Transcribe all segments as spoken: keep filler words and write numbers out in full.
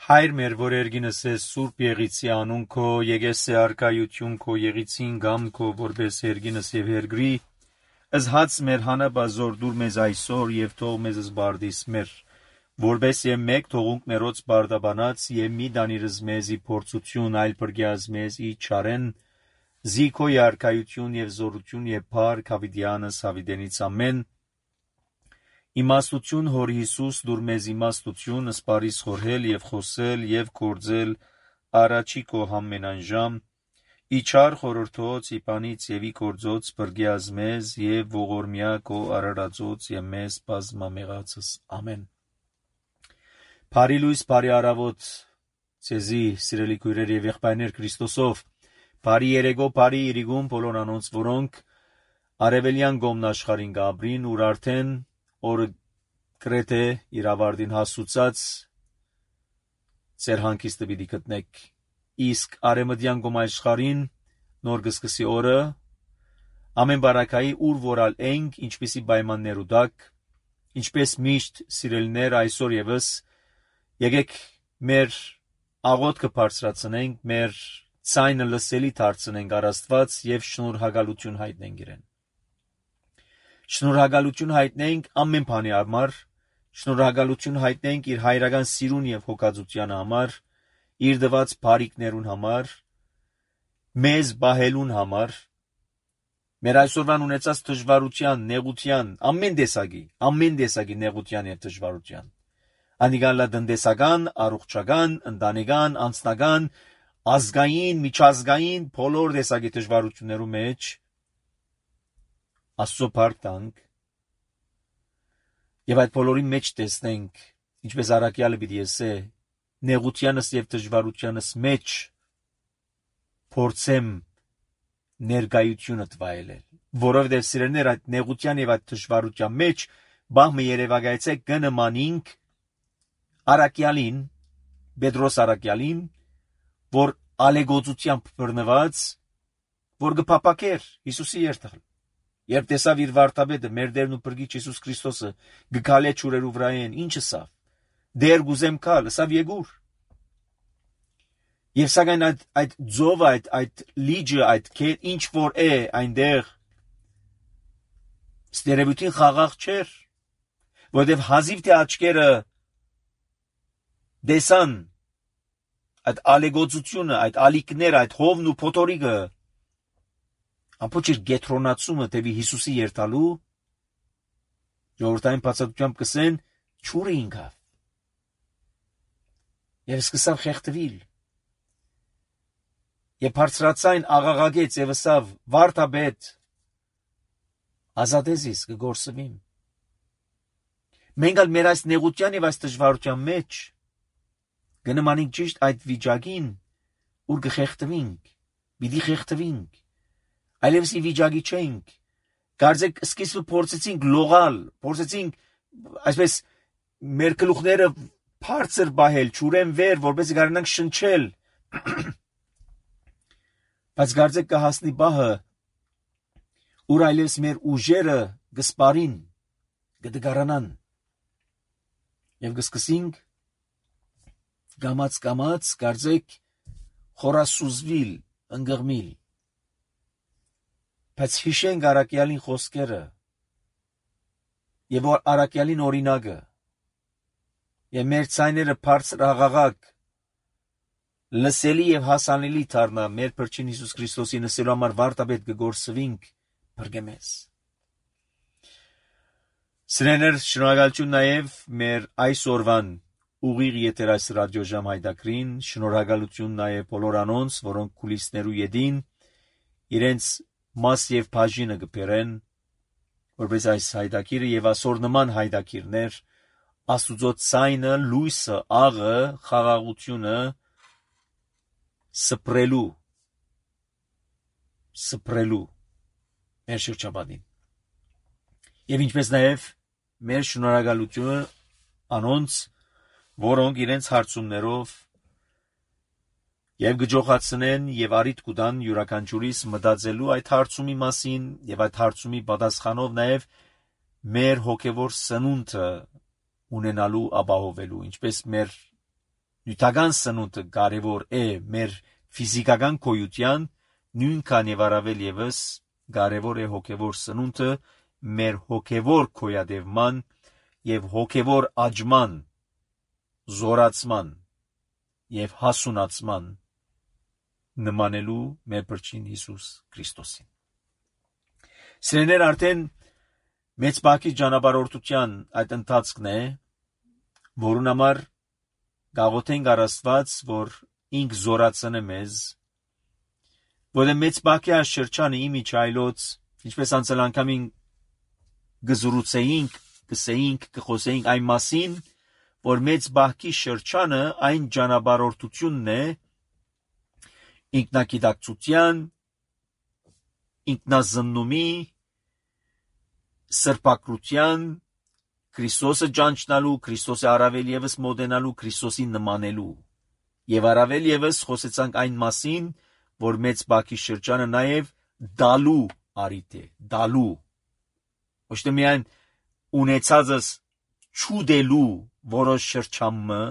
Հայր մեր, որ երգինս ես սուրբ եղիցի անուն քո, եկես է արկայություն քո եղիցին գամ քո, որպես երգինս և երգրի, ըզհաց մեր հանաբազոր դուր մեզ այսօր և թող մեզ զբարդիս մեր, որպես և մեկ թողունք մերոց բարդաբանած և մի դանիրыз մեզի փորձություն այլ պրգյազ մեզի չարեն, զի քո արկայություն և զորություն և փառք հավիդյանս հավիդենից ամեն, իմաստություն հոր Հիսուս դուր մեզ իմաստություն սպարիս խորհել և խոսել և կործել առաջի քո համենանժամ, իչար խորորդոց իպանից և ի կործոց պրգյազ մեզ և ողորմյա քո արարածոց և մեզ բազմամեղացս ամեն։ Բարի լույս, բարի առավոտ ցեզի սիրելի քույրեր և եղբայրներ Քրիստոսով, բարի երեկո, բարի իրիգուն բոլոր անոնց, որոնք արևելյան գոմն աշխարհին գաբրին, ուր արդեն օրը գրեթե իր ավարտին հասուցած ծեր հանգիստը պիտի գտնեք, իսկ արևմտյան գոմ աշխարհին նոր կսկսի օրը ամեն բարակայի ուր որալ ենք, ինչպիսի պայմաններ ու դակ, ինչպես միշտ սիրելիներ այսօր եւս եկեք մեր աղոթքը բարձրացնենք, մեր ցայնը լսելի դարձնենք առ Աստված եւ շնորհակալություն հայտնենք իրեն։ Շնորհակալություն հայտնենք ամեն բանի համար, շնորհակալություն հայտնենք իր հայրական սիրուն եւ հոգածության համար, իր դված բարիքներուն համար, մեզ բահելուն համար, մեր այսօրվան ունեցած դժվարության, նեղության, ամեն տեսակի, ամեն տեսակի նեղության եւ դժվարության, անիկալա տնտեսական, առողջական, ընտանեկան, անձնական, ազգային, միջազգային բոլոր տեսակի դժվարություններու մեջ Աստծո փառք տանք եւ այդ բոլորի մեջ տեսնենք, ինչպես առաքյալը պիտի ասե, նեղությանս եւ դժվարությանս մեջ փորձեմ ներկայությունը տվայելել, որովհետեւ սիրելիներ այդ նեղության եւ այդ դժվարության մեջ բահմը երևակայեցե կնմանինք առաքյալին, Պետրոս առաքյալին, որ ալեգոծությամբ բռնված, որ գփապակեր Հիսուսի երթալ, երբ տեսավ իր վարդապետը, մեր Տերն ու Փրկիչ Հիսուս Քրիստոսը գքալե ճուրերու վրայեն, ինչը սավ, դեր գուզեմ կալ, սավ եգուր, եւ սակայն այդ այդ ձովը, այդ այդ լիճը, այդ քետ ինչ որ է այնտեղ ստերևույթին խաղաղ չէր, որովհետեւ հազիվ թե աչքերը դեսան այդ ալեգոծությունը, այդ ալիքները, այդ հովն ու փոթորիկը, ամբողջ գետրոնացումը տևի Հիսուսի երթալու, ժողովրդային բացատրությամբ կսեն ճուրը ինքավ, եւ սկսավ խեղդվել, եւ բարձրացայն աղաղակեց եւ ասավ վարդապետ, ազատեզիս կգործվիմ։ Մենք ալ մեր այս նեղության եւ այս դժվարության մեջ գնմանինք ճիշտ այդ վիճակին, ուր կխեղդվենք, պիտի խեղդվենք, այլևս ի վիճակի չենք, կարծեք սկիզբը փորձեցինք լողալ, փորձեցինք այսպես մեր գլուխները բարձր բահել, ճուրեն վեր, որպեսզի կարողանանք շնչել, բայց կարծեք կհասնի բահը, ուր այլևս մեր ուժերը կսպարին, կդգարանան, եւ կսկսենք գամած-գամած, կարծեք խորասուզվիլ, ընկղմիլ, բայց հիշենք առաքյալին խոսքերը եւ առաքյալին օրինակը եւ մեր ցայները բարձր աղաղակ լսելի եւ հասանելի դառնա մեր Փրկին Հիսուս Քրիստոսի նսելու համար վարդապետ կգործվենք բրգեմես։ Սիրելիներ, շնորհակալություն նաեւ մեր այսօրվան ուղիղ եթեր այս ռադիոժամ հայտակրին, շնորհակալություն նաեւ բոլոր անոնց, որոնք կուլիսներու յետին իրենց մաս եւ բաժինը կբերեն, որպես այս հայտակիրը եւ ասոր նման հայտակիրներ Աստուծո ցայնը, լույսը, աղը, խաղաղությունը սփռելու սփռելու մեր շրջապատին։ Եվ ինչպես նաեւ մեր շնորհակալությունը անոնց, որոնք իրենց հարցումներով եւ գջոխացնեն եւ արիտ կուտան յուրաքանչյուրիս մտածելու այդ հարցումի մասին եւ այդ հարցումի պատասխանով նաեւ մեր հոգեվոր սնունդը ունենալու ապահովելու, ինչպես մեր նյութական սնունդը կարևոր է մեր ֆիզիկական գոյության, նույնքան եւ առավել եւս կարևոր է հոգեվոր սնունդը մեր հոգեվոր գոյատևման եւ հոգեվոր աճման, զորացման եւ հասունացման նմանելու մեր Փրկին Հիսուս Քրիստոսին։ Սիրելիներ, արդեն մեծ բակի ճանապարհորդության այդ ընթացքն է, որուն համար գաղութենք առ Աստված, որ ինք զորացնե մեզ, որը մեծ բակի աշխրջանը իմի չայլոց, ինչպես անցել անգամին գզրուցեինք, գսեինք, կխոսեինք այն մասին, որ մեծ բակի շրջանը այն ճանապարհորդությունն է, ինքնագիտակցության, ինքնազննումի, սրբակրության, Քրիստոսը ճանչնալու, Քրիստոսի առավել եւս մոտենալու, Քրիստոսին նմանելու։ Եվ առավել եւս խոսեցանք այն մասին, որ մեծ բակի շրջանը նաեւ դալու արիթ է, դալու։ Ոչ թե միայն ունեցածս չուդելու որոշ շրջանը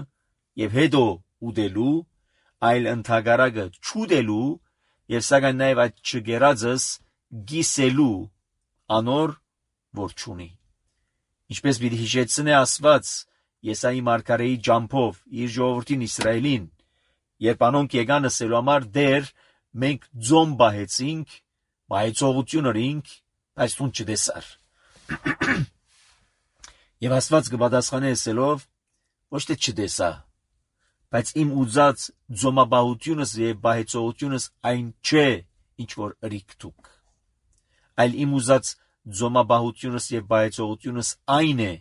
եւ հետո ուդելու, այլ ընդհանրակը չուդելու եւ սակայն նաեւ այդ չգերածս գիսելու անոր որ չունի։ Ինչպես պիտի հիշեցնե Աստված Եսայի մարգարեի ջամփով իր ժողովրդին Իսրայելին, երբ անոնք եկան ասելու համար դեր մենք ձոմ բահեցինք, բայցողություն ունենք, բայց դու չտեսար։ Եվ Աստված կպատասխանե ասելով, ոչ թե չտեսա, բայց իմ ուզած ձոմաբահությունս եւ բայցողությունս այն չէ, ինչ որ ըրիք դուք, այլ իմ ուզած ձոմաբահությունս եւ բայցողությունս այն է,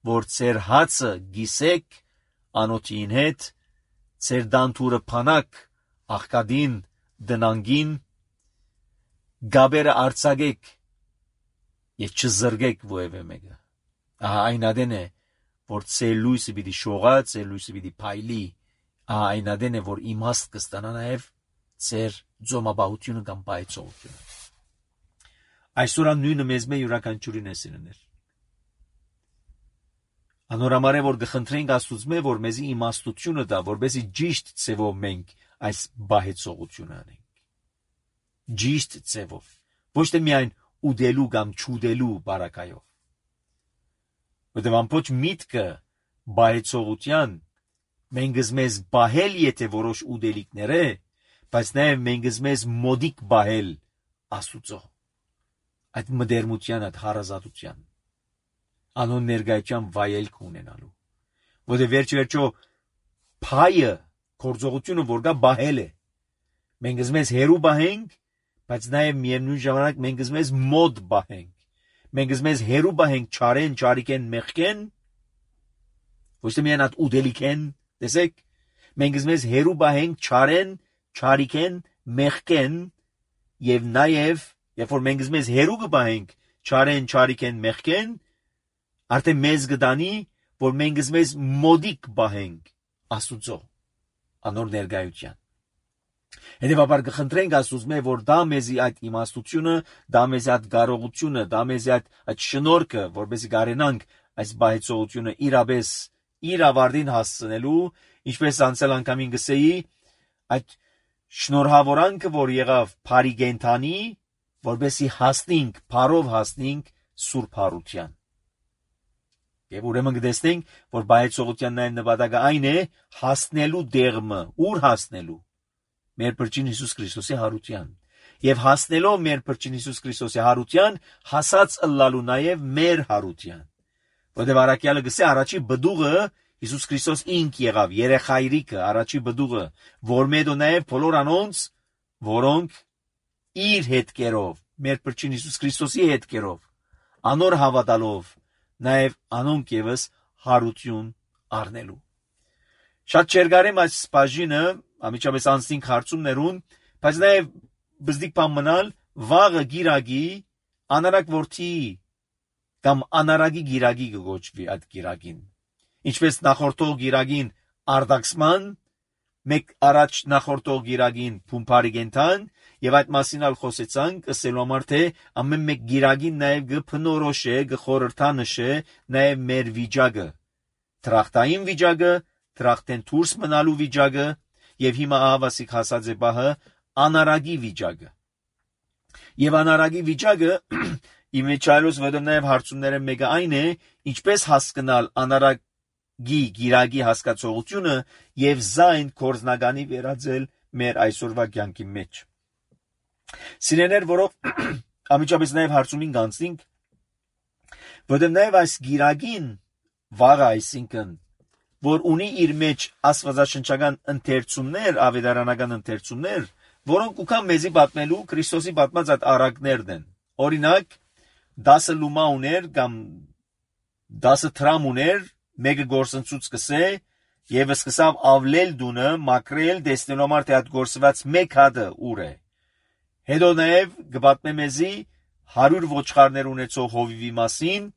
որ ձեր հացը գիսեք անոթին հետ, ձեր դանթուրը փանակ աղկադին դնանգին, գաբերը արցագեք եւ չզրգեք ովևէ մեկը։ Ահա այն ադեն է, որ ձեր լույսը պիտի շողա, ձեր լույսը պիտի փայլի, ահա այն ադեն է, որ իմաստ կստանա նաեւ ձեր ձոմաբահությունը կամ բայցողությունը։ Այսօր նույնը մեզ մե յուրաքանչյուրին է սիրներ։ Անորամար է, որ գխնդրենք Աստծուց, որ մեզի իմաստությունը տա, որպեսզի ճիշտ ձևով մենք այս բայեցողությունը անենք։ Ճիշտ ձևով, ոչ թե միայն ուդելու կամ չուդելու բարակայով։ Որտեղ ամբողջ միտքը բայեցողության մենք մեզ բահել եթե որոշ ուդելիքներ է, բայց նաև մենք մեզ մոդիկ բահել Աստուծո այդ մդերմության, այդ հարազատության, անոն ներկայության վայելք ունենալու, որտեղ վերջ-վերջո փայը, գործողությունը որ կա բահել է, մենք մեզ հերու բահենք, բայց նաև միևնույն ժամանակ մենք մեզ մոդ բահենք, մենք մեզ հերու բահենք չարեն, չարիքեն, մեղքեն, ոչ թե միայն այդ ուդելիքեն, տեսեք, մենք մեզ հերու բահենք չարեն, չարիքեն, մեղքեն եւ նաև երբ որ մենք մեզ հերու կբահենք չարեն, չարիքեն, մեղքեն, արդեն մեզ կդանի, որ մենք մեզ մոդիկ բահենք Աստուծո անոր ներկայության։ Հետևաբար կխնդրենք Աստծուց, որ դա մեզի այդ իմաստությունը, դա մեզի այդ կարողությունը, դա մեզի այդ այդ շնորհքը, որպեսզի կարենանք այս բայեցողությունը իրապես իր ավարտին հասցնելու, ինչպես անցել անգամին գսեի, այդ շնորհավորանքը, որ եղավ Փարի Գենթանի, որպեսզի հասնենք, փարով հասնենք Սուրբ Հարության։ Եվ ուրեմն կտեսնենք, որ բայեցողության նաև նպատակը այն է հասնելու դեղմը, ուր հասնելու մեր Փրկին Հիսուս Քրիստոսի հարության։ Եվ հասնելով մեր Փրկին Հիսուս Քրիստոսի հարության, հասած ըլլալու նաև մեր հարության։ Որտեղ առաքյալը գսե առաջի բդուղը Հիսուս Քրիստոս ինք եղավ, երեխայրիկը, առաջի բդուղը, որ մետո նաև բոլոր անոնց, որոնք իր հետքերով, մեր Փրկին Հիսուս Քրիստոսի հետքերով, անոր հավատալով, նաև անոնք եւս հարություն առնելու։ Շատ չերգարեմ այս բաժինը, ամիջապես անցնենք հարցումներուն, բայց նաև բզդիկ բան մնալ վաղը գիրագի անարակ որդի կամ անարագի գիրագի կգոչվի այդ գիրագին։ Ինչպես նախորդող գիրագին արդակսման, մեկ առաջ նախորդող գիրագին փումփարի գենթան, եւ այդ մասին ալ խոսեցանք, ասելու համար թե ամեն մեկ գիրագին նաև գփնորոշե, գխորհրդանշե նաև մեր վիճակը, տրախտային վիճակը, դրախտեն դուրս մնալու վիճակը եւ հիմա ահավասիկ հասած է բահը անարագի վիճակը։ Եվ անարագի վիճակը իմեջայլոս վդը նաեւ հարցումները մեկը այն է, ինչպես հասկանալ անարագի գիրագի հասկացողությունը եւ զայն կորզնագանի վերածել մեր այսօրվա կյանքի մեջ։ Սիրեներ, որով ամիջապես նաեւ հարցումին կանցնենք, որտեղ նաեւ այս գիրագին վաղ այսինքն որ ունի իր մեջ աստվածաշնչական ընթերցումներ, ավետարանական ընթերցումներ, որոնք ուքան մեզի պատմելու Քրիստոսի պատմած այդ առակներն են։ Օրինակ, դասը լումա ուներ կամ դասը տրամ ուներ, մեկը գործընծուց կսե եւ սկսավ ավլել դունը, մակրել, տեսնելու համար թե այդ գործված մեկ հատը ուր է։ Հետո նաեւ կպատմե մեզի հարյուր ոչխարներ ունեցող հովիվի մասին,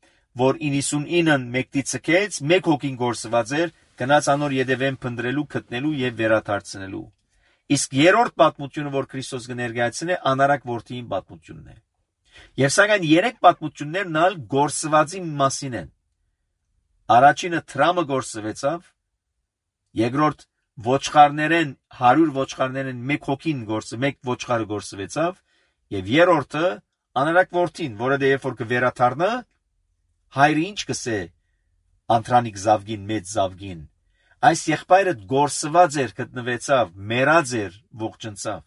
որ իննսունինն մեկտի ցկեց, մեկ հոգին գործված էր, գնաց անոր յետևեն փնտրելու, գտնելու եւ վերադարձնելու։ Իսկ երրորդ պատմությունը, որ Քրիստոս կներկայացնի, անարակ որդիին պատմությունն է։ Եվ սակայն երեք պատմություններն ալ գործվածի մասին են։ Առաջինը տրամը գործվեցավ, երկրորդ ոչխարներեն հարյուր ոչխարներեն մեկ հոգին գործ, մեկ ոչխարը գործվեցավ, եւ երրորդը անարակ որդին, որը դե երբ որ կվերադառնա, հայրը ինչ կսե անտրանիկ զավգին, մեծ զավգին, այս եղբայրը գործված էր, գտնվեցավ, մեռած էր, ողջնցավ,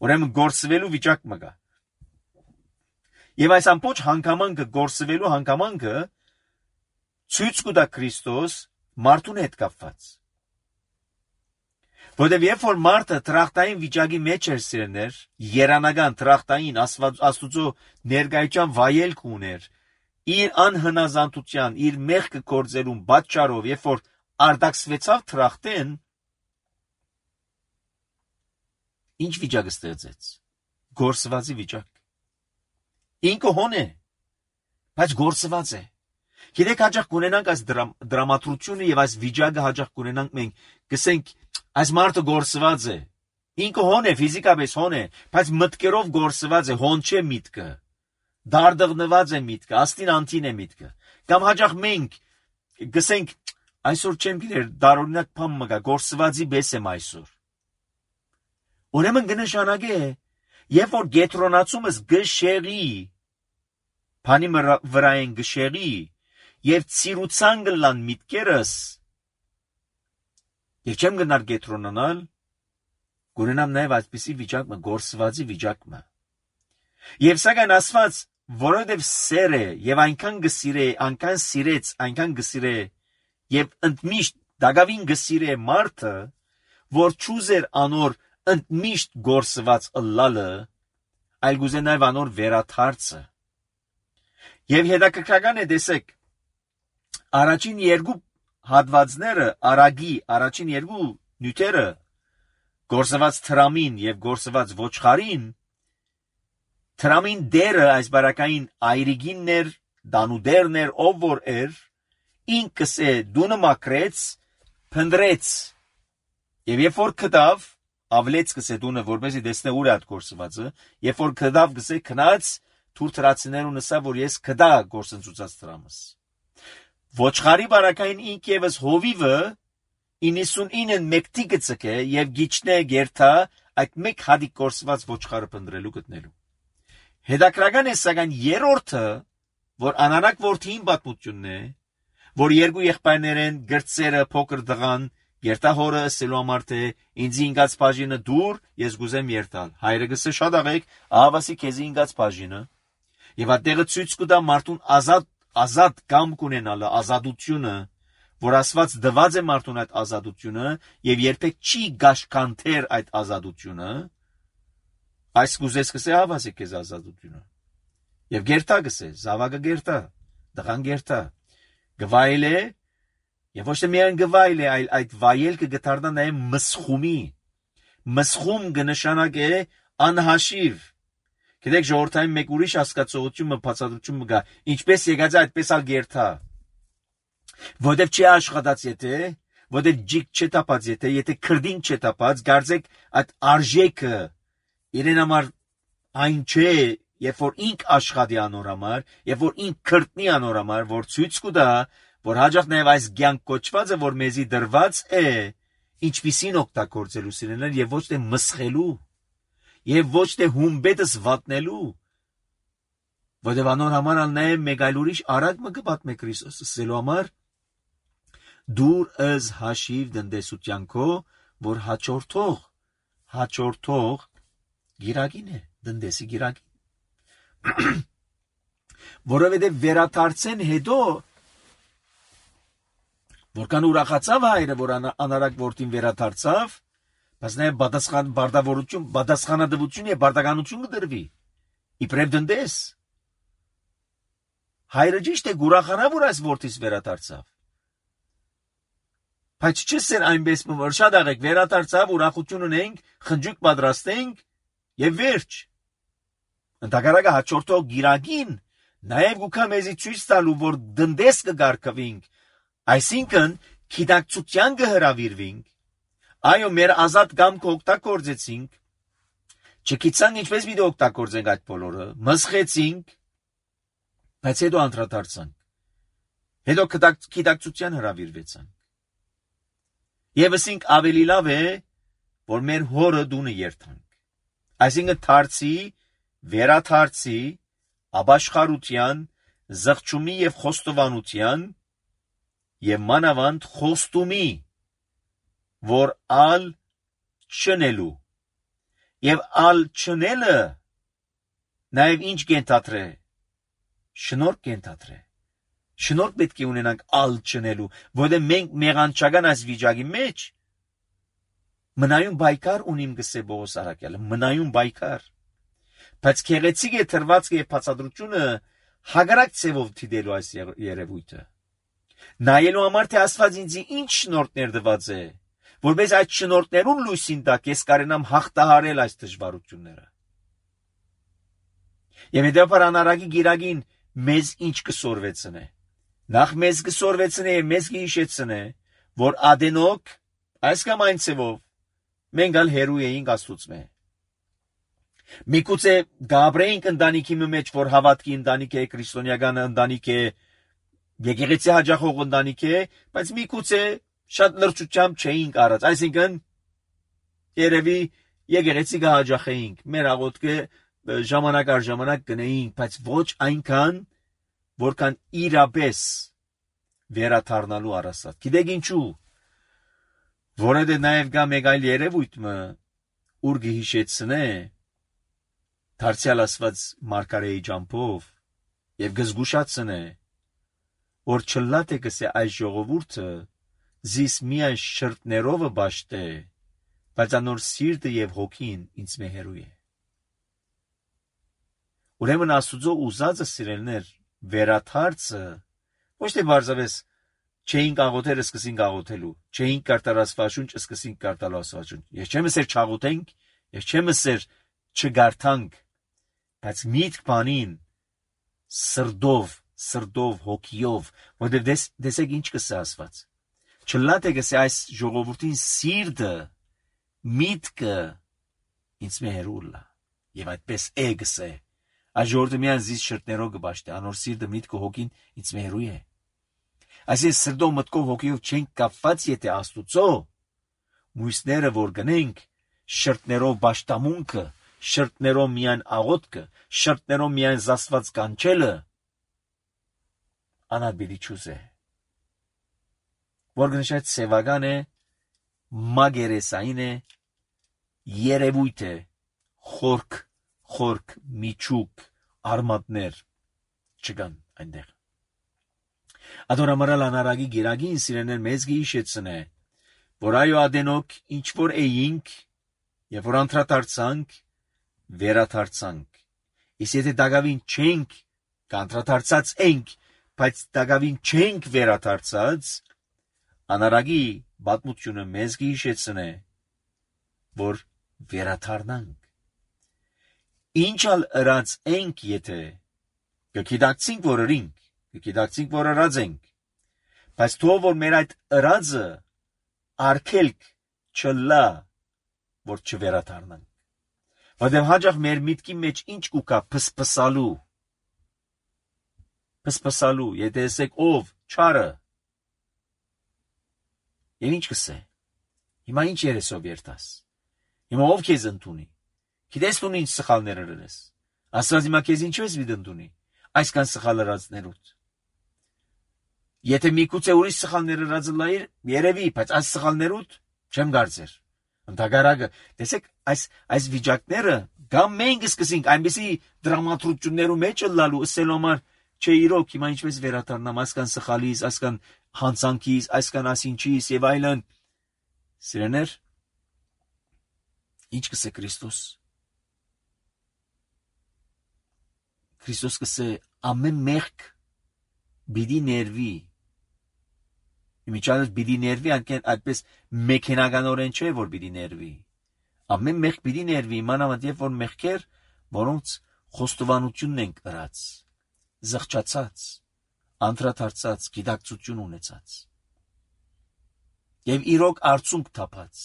ուրեմն գործվելու վիճակ մը կա։ Եվ այս ամբողջ հանգամանքը գործվելու հանգամանքը ցույց կտա Քրիստոս մարդուն հետ կապված։ Որտեւ երբ որ մարդը տրախտային վիճակի մեջ էր սիրներ, երանական տրախտային Աստուծո ներկայության վայելք ուներ, իր անհնազանդության, իր մեղքը կործելուն պատճառով, երբ որ արտաքսվեցավ տրախտեն, ինչ վիճակ ստեղծեց։ Գործվածի վիճակ։ Ինքը հոն է, բայց գործված է։ Գիտեք, հաճախ կունենանք այս դրամատրությունը եւ այս վիճակը հաճախ կունենանք մենք, գսենք, այս մարդը գործված է։ Ինքը հոն է, ֆիզիկապես հոն է, բայց մտքերով գործված է, հոն չէ միտքը։ Դարդղնված է միտքը, աստին անտին է միտքը։ Կամ հաճախ մենք գսենք, այսօր չեմ գիտեր, դարօրինակ բան մը կա, գործվածի պես եմ այսօր։ Ուրեմն կնշանակե, երբ որ գետրոնացումս գշերի, բանի վրա են գշերի, եւ ցիրուցան գլան միտքերս, եւ չեմ գնար գետրոնանալ, գունենամ նաեւ այսպիսի վիճակը, գործվածի վիճակը։ Եվ սակայն ասված, որովհետև սեր է եւ այնքան գսիրե, այնքան սիրեց, այնքան գսիրե եւ ընդմիշտ դակավին գսիրե մարդը, որ ճուզեր անոր ընդմիշտ գործված ըլլալը, այլ գուզե նաեւ անոր վերաթարցը։ Եվ հետաքրքրական է տեսեք, առաջին երկու հատվածները, արագի առաջին երկու նյութերը, գործված տրամին եւ գործված ոչխարին, տրամին դերը այս բարակային այրիգինն էր, դանուդերն էր, ով որ էր, ինքս է դունը մակրեց, փնդրեց, եւ երբ որ կդավ, ավլեց կսե դունը, որպեսի դեսնե ուր է այդ գործվածը, երբ որ կդավ կսե քնած, թուր տրացիներու նսա, որ ես կդա գործընծուցած տրամս։ Ոչխարի բարակային ինք եւս հովիվը իննսունինն մեկտի գծկե եւ գիչնե գերթա այդ մեկ հադիկ գործված ոչխարը փնդրելու գտնելու։ Հետաքրական է սակայն երրորդը, որ անանակ որդին պատմությունն է, որ երկու եղբայրներ են գրծերը փոքր դղան, երթահորը ասելու համար թե ինձ ինգած բաժինը դուր, ես գուզեմ երթալ։ Հայրը գսե շատ աղեք, ահավասի քեզի ինգած բաժինը, եւ այդտեղը ցույց կտա մարդուն ազատ ազատ կամ կունենալը, ազատությունը, որ ասված դված է մարդուն այդ ազատությունը եւ երբեք չի գաշկանթեր այդ ազատությունը, այս կուզես կսե ահավասի քեզ ազատությունը։ Եվ գերտա գսե, զավակը գերտա, դղան գերտա, գվայել է, եւ ոչ թե միայն գվայել է, այլ այդ վայելքը գտարնա նաեւ մսխումի։ Մսխում կնշանակե անհաշիվ։ Գիտեք, ժողովրդային մեկ ուրիշ հասկացողություն, բացատրություն կա, ինչպես եկած է, այդպես ալ գերտա։ Որտեւ չի աշխատած եթե, որտեւ ջիկ չտապած եթե, եթե քրդին չտապած, գարձեք այդ արժեքը իրեն համար այն չէ, երբ որ ինք աշխատի անոր համար, երբ որ ինք քրտնի անոր համար, որ ցույց կտա, որ հաջող նաև այս կյանք կոչվածը, որ մեզի դրված է, ինչպիսին օգտագործելու սիրելիներ, եւ ոչ թե մսխելու, եւ ոչ թե հումբետս վատնելու, որտեղ անոր համար ալ նաև մեկ այլ ուրիշ արագ մը կպատմե Քրիստոսը սելու համար դուր ըզ հաշիվ դնդեսության քո, որ հաջորդող, հաջորդող գիրագին է, դնդեսի գիրագին, որովհետև վերադարձեն հետո, որքան ուրախացավ հայրը, որ անարակ որդին վերադարձավ, բայց նաև պատասխան բարդավորություն, պատասխանատվություն եւ բարդականություն կդրվի, իբրև դնդես։ Հայրը ճիշտ է ուրախանա, որ այս որդիս վերադարձավ։ Բայց չսեր այնպես որ շատ աղեք վերադարձավ, ուրախություն ունենք, խնջույք պատրաստենք եւ վերջ։ Ընդհակառակը հաջորդող գիրագին նաև գուքա մեզի ցույց տալու, որ դնդես կգարկվենք, այսինքն գիտակցության կհրավիրվենք, այո, մեր ազատ կամքը օգտագործեցինք, չգիտանք ինչպես պիտի օգտագործենք այդ բոլորը, մսխեցինք, բայց հետո անդրադարձանք, հետո գիտակցության հրավիրվեցանք։ Եվ ասինք ավելի լավ է, որ մեր հորը դունը երթանք։ Այսինքն թարցի, վերաթարցի, ապաշխարության, զղջումի եւ խոստովանության եւ մանավանդ խոստումի, որ ալ չնելու եւ ալ չնելը նաեւ ինչ կենթատրե, շնորհք կենթատրե։ Շնորհք պետք է ունենանք ալ չնելու, որովհետև մենք մեղանչական այս վիճակի մեջ մնայուն բայկար ունիմ գսե Պողոս Արաքյալը, մնայուն բայկար։ Բայց քեղեցիկ է թրված եւ բացատրությունը հագարակ ցևով դիտելու այս երևույթը։ Նայելու համար թե Աստված ինձ ինչ շնորհներ տված է, որպես այդ շնորհներուն լույսին տակ ես կարենամ հաղթահարել այս դժվարությունները։ Եվ հետեւաբար անարագի գիրագին մեզ ինչ կսորվեցնե։ Նախ մեզ կսորվեցնե եւ մեզ կհիշեցնե, որ ադենոք այս կամ այն ցևով մենք ալ հերու էինք Աստծո։ Միգուցե գաբրեինք ընտանիքի մեջ, որ հավատքի ընտանիք է, քրիստոնեական ընտանիք է, եկեղեցի հաջախող ընտանիք է, բայց միգուցե շատ լրջությամբ չէինք արած, այսինքն երևի եկեղեցի կհաջախեինք, մեր աղոթքը ժամանակ առ ժամանակ գնեինք, բայց ոչ այնքան, որքան իրապես վերաթարնալու առասատ։ Գիտեք ինչու, որը նաև գա մեկ այլ երևույթ մը, ուր գհիշեցնե, դարձյալ ասված մարգարեի ջամփով եւ գզգուշացնե, որ չլատ է գսե այս ժողովուրդը զիս միայն շրտներովը բաշտե, բայց անոր սիրտը եւ հոգին ինձ մե հերու է։ Ուրեմն Աստուծո ուզածը սիրելներ վերաթարցը ոչ թե բարձավես չէինք աղոթել, սկսենք աղոթելու, չէինք կարտալ Աստվածաշունչ, սկսենք կարտալ Աստվածաշունչ։ Ես չեմ ասեր չաղոթենք, ես չեմ ասեր չգարթանք, բայց միտք բանին սրդով, սրդով, հոգիով, որտեղ դες դեսեք ինչ կսե Աստված։ Չլատ է գսե այս ժողովրդին սիրտը, միտքը ինձ մե հերու լա։ Եվ այդպես է գսե։ Այս ժողովուրդը միայն զիս շրտներով կբաշտե, անոր սիրտը, միտքը, հոգին ինձ մե հերու է։ Այսինքն սրդով, մտքով, հոգիով չենք կապված, եթե Աստուծո մույսները որ գնենք, շրտներով բաշտամունքը, շրտներով միայն աղոթքը, շրտներով միայն զաստված կանչելը անաբիդի չուզե։ Որ գնշայդ սևական է, մագերեսային է, երևույթ է, խորք, խորք, միջուկ, արմատներ չկան այնտեղ։ Ադորամարալ անարագի գիրագին սիրեներ մեզ գիշեցնե, որ այո ադենոք ինչ որ էինք, եւ որ անդրադարձանք, վերադարձանք։ Իսկ եթե դակավին չենք, կանտրադարձած ենք, բայց դակավին չենք վերադարձած, անարագի պատմությունը մեզ գիշեցնե, որ վերադառնանք։ Ինչ ալ ըրած ենք, եթե կգիտակցինք, որ ըրինք, կգիտակցինք, որ ըրած ենք, բայց թող որ մեր այդ ըրածը արգելք չլա, որ չվերադառնանք։ Որտեղ հաջող մեր միտքի մեջ ինչ կուկա փսփսալու, փսփսալու, եթե ասեք ով չարը, Եվ ինչ կսե։ Հիմա ինչ երեսով երթաս։ Հիմա ով քեզ ընդունի։ Գիտես դու ինչ սխալներ արես։ Աստված հիմա քեզ ինչպես մի ընդունի։ Այսքան սխալ արածներուց։ Եթե միգուցե ուրիշ սխալներ արածը լայր, երևի, բայց այս սխալներուց չեմ կարծեր։ Ընդհակառակը, տեսեք, այս այս վիճակները գամ մենք սկսենք այնպեսի դրամատրություններու մեջ լալու ասելու համար, չէ իրոք հիմա ինչպես վերադառնամ այսքան սխալից, այսքան հանցանքից, այսքան ասինչից եւ այլն։ Սիրեներ, ինչ կսե Քրիստոս։ Քրիստոս կսե ամեն մեղք բիդի ներվի։ Իմիջիալս բիդի ներվի, այդպես մեքենականորեն չէ, որ բիդի ներվի։ Ամեն մեղք բիդի ներվի, մանավանդ երբ որ մեղքեր, որոնց խոստովանությունն են կրած, զղջացած, անդրադարձած, գիտակցություն ունեցած։ Եվ իրոք արցունք թափած,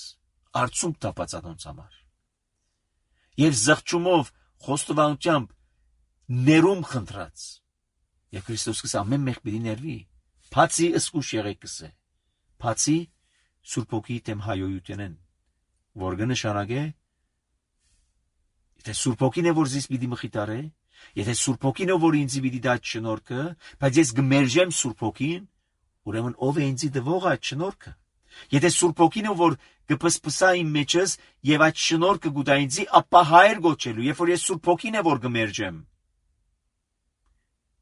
արցունք թափած անոնց համար։ Եվ զղջումով, խոստովանությամբ ներում խնդրած։ Եվ Քրիստոս կսե ամեն մեղք բիդի ներվի։ Բացի ըսկուշ եղեք կսե, բացի Սուրբ Հոգի դեմ հայոյութենեն, որ կնշանակե, եթե Սուրբ Հոգին է որ զիս պիտի մխիթարե, եթե Սուրբ Հոգին է որ ինձ պիտի դա շնորհքը, բայց ես կմերժեմ Սուրբ Հոգին, ուրեմն ով է ինձ տվող այդ շնորհքը։ Եթե Սուրբ Հոգին է որ կփսփսա իմ մեջս եւ այդ շնորհքը գուտա ինձ, ապա հայր գոչելու, երբ որ ես Սուրբ Հոգին է որ կմերժեմ։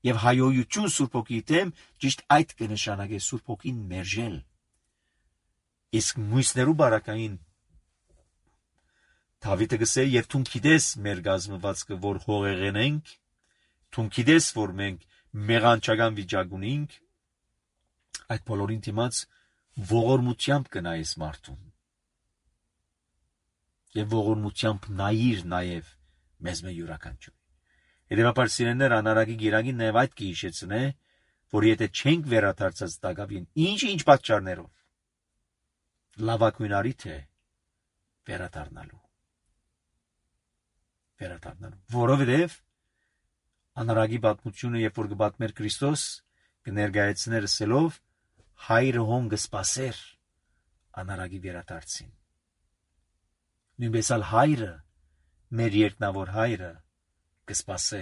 Եվ հայոյություն Սուրբ Հոգի դեմ ճիշտ այդ կնշանակե Սուրբ Հոգին մերժել։ Իսկ մույսներու բարակային Դավիթը գսե եւ դու գիտես մեր գազմվածքը որ հողեղեն ենք, դու գիտես որ մենք մեղանչական վիճակ ունենք, այդ բոլորին դիմաց ողորմությամբ կնայես մարդուն։ Եվ ողորմությամբ նայիր նաեւ մեզ մե յուրաքանչյուր։ Հետևաբար սիրելիներ անարագի գիրագին նաև այդ կհիշեցնե, որ եթե չենք վերադարձած Դագավին, ինչ-ինչ պատճառներով, լավագույն արիթ է վերադառնալու։ Վերադառնալու։ Որովհետև անարագի պատմությունը, երբ որ կպատմեր Քրիստոս, կներկայացներ ասելով, հայրը հոն կսպասեր անարագի վերադարձին։ Նույնպես ալ հայրը, մեր երկնավոր հայրը, կսպասե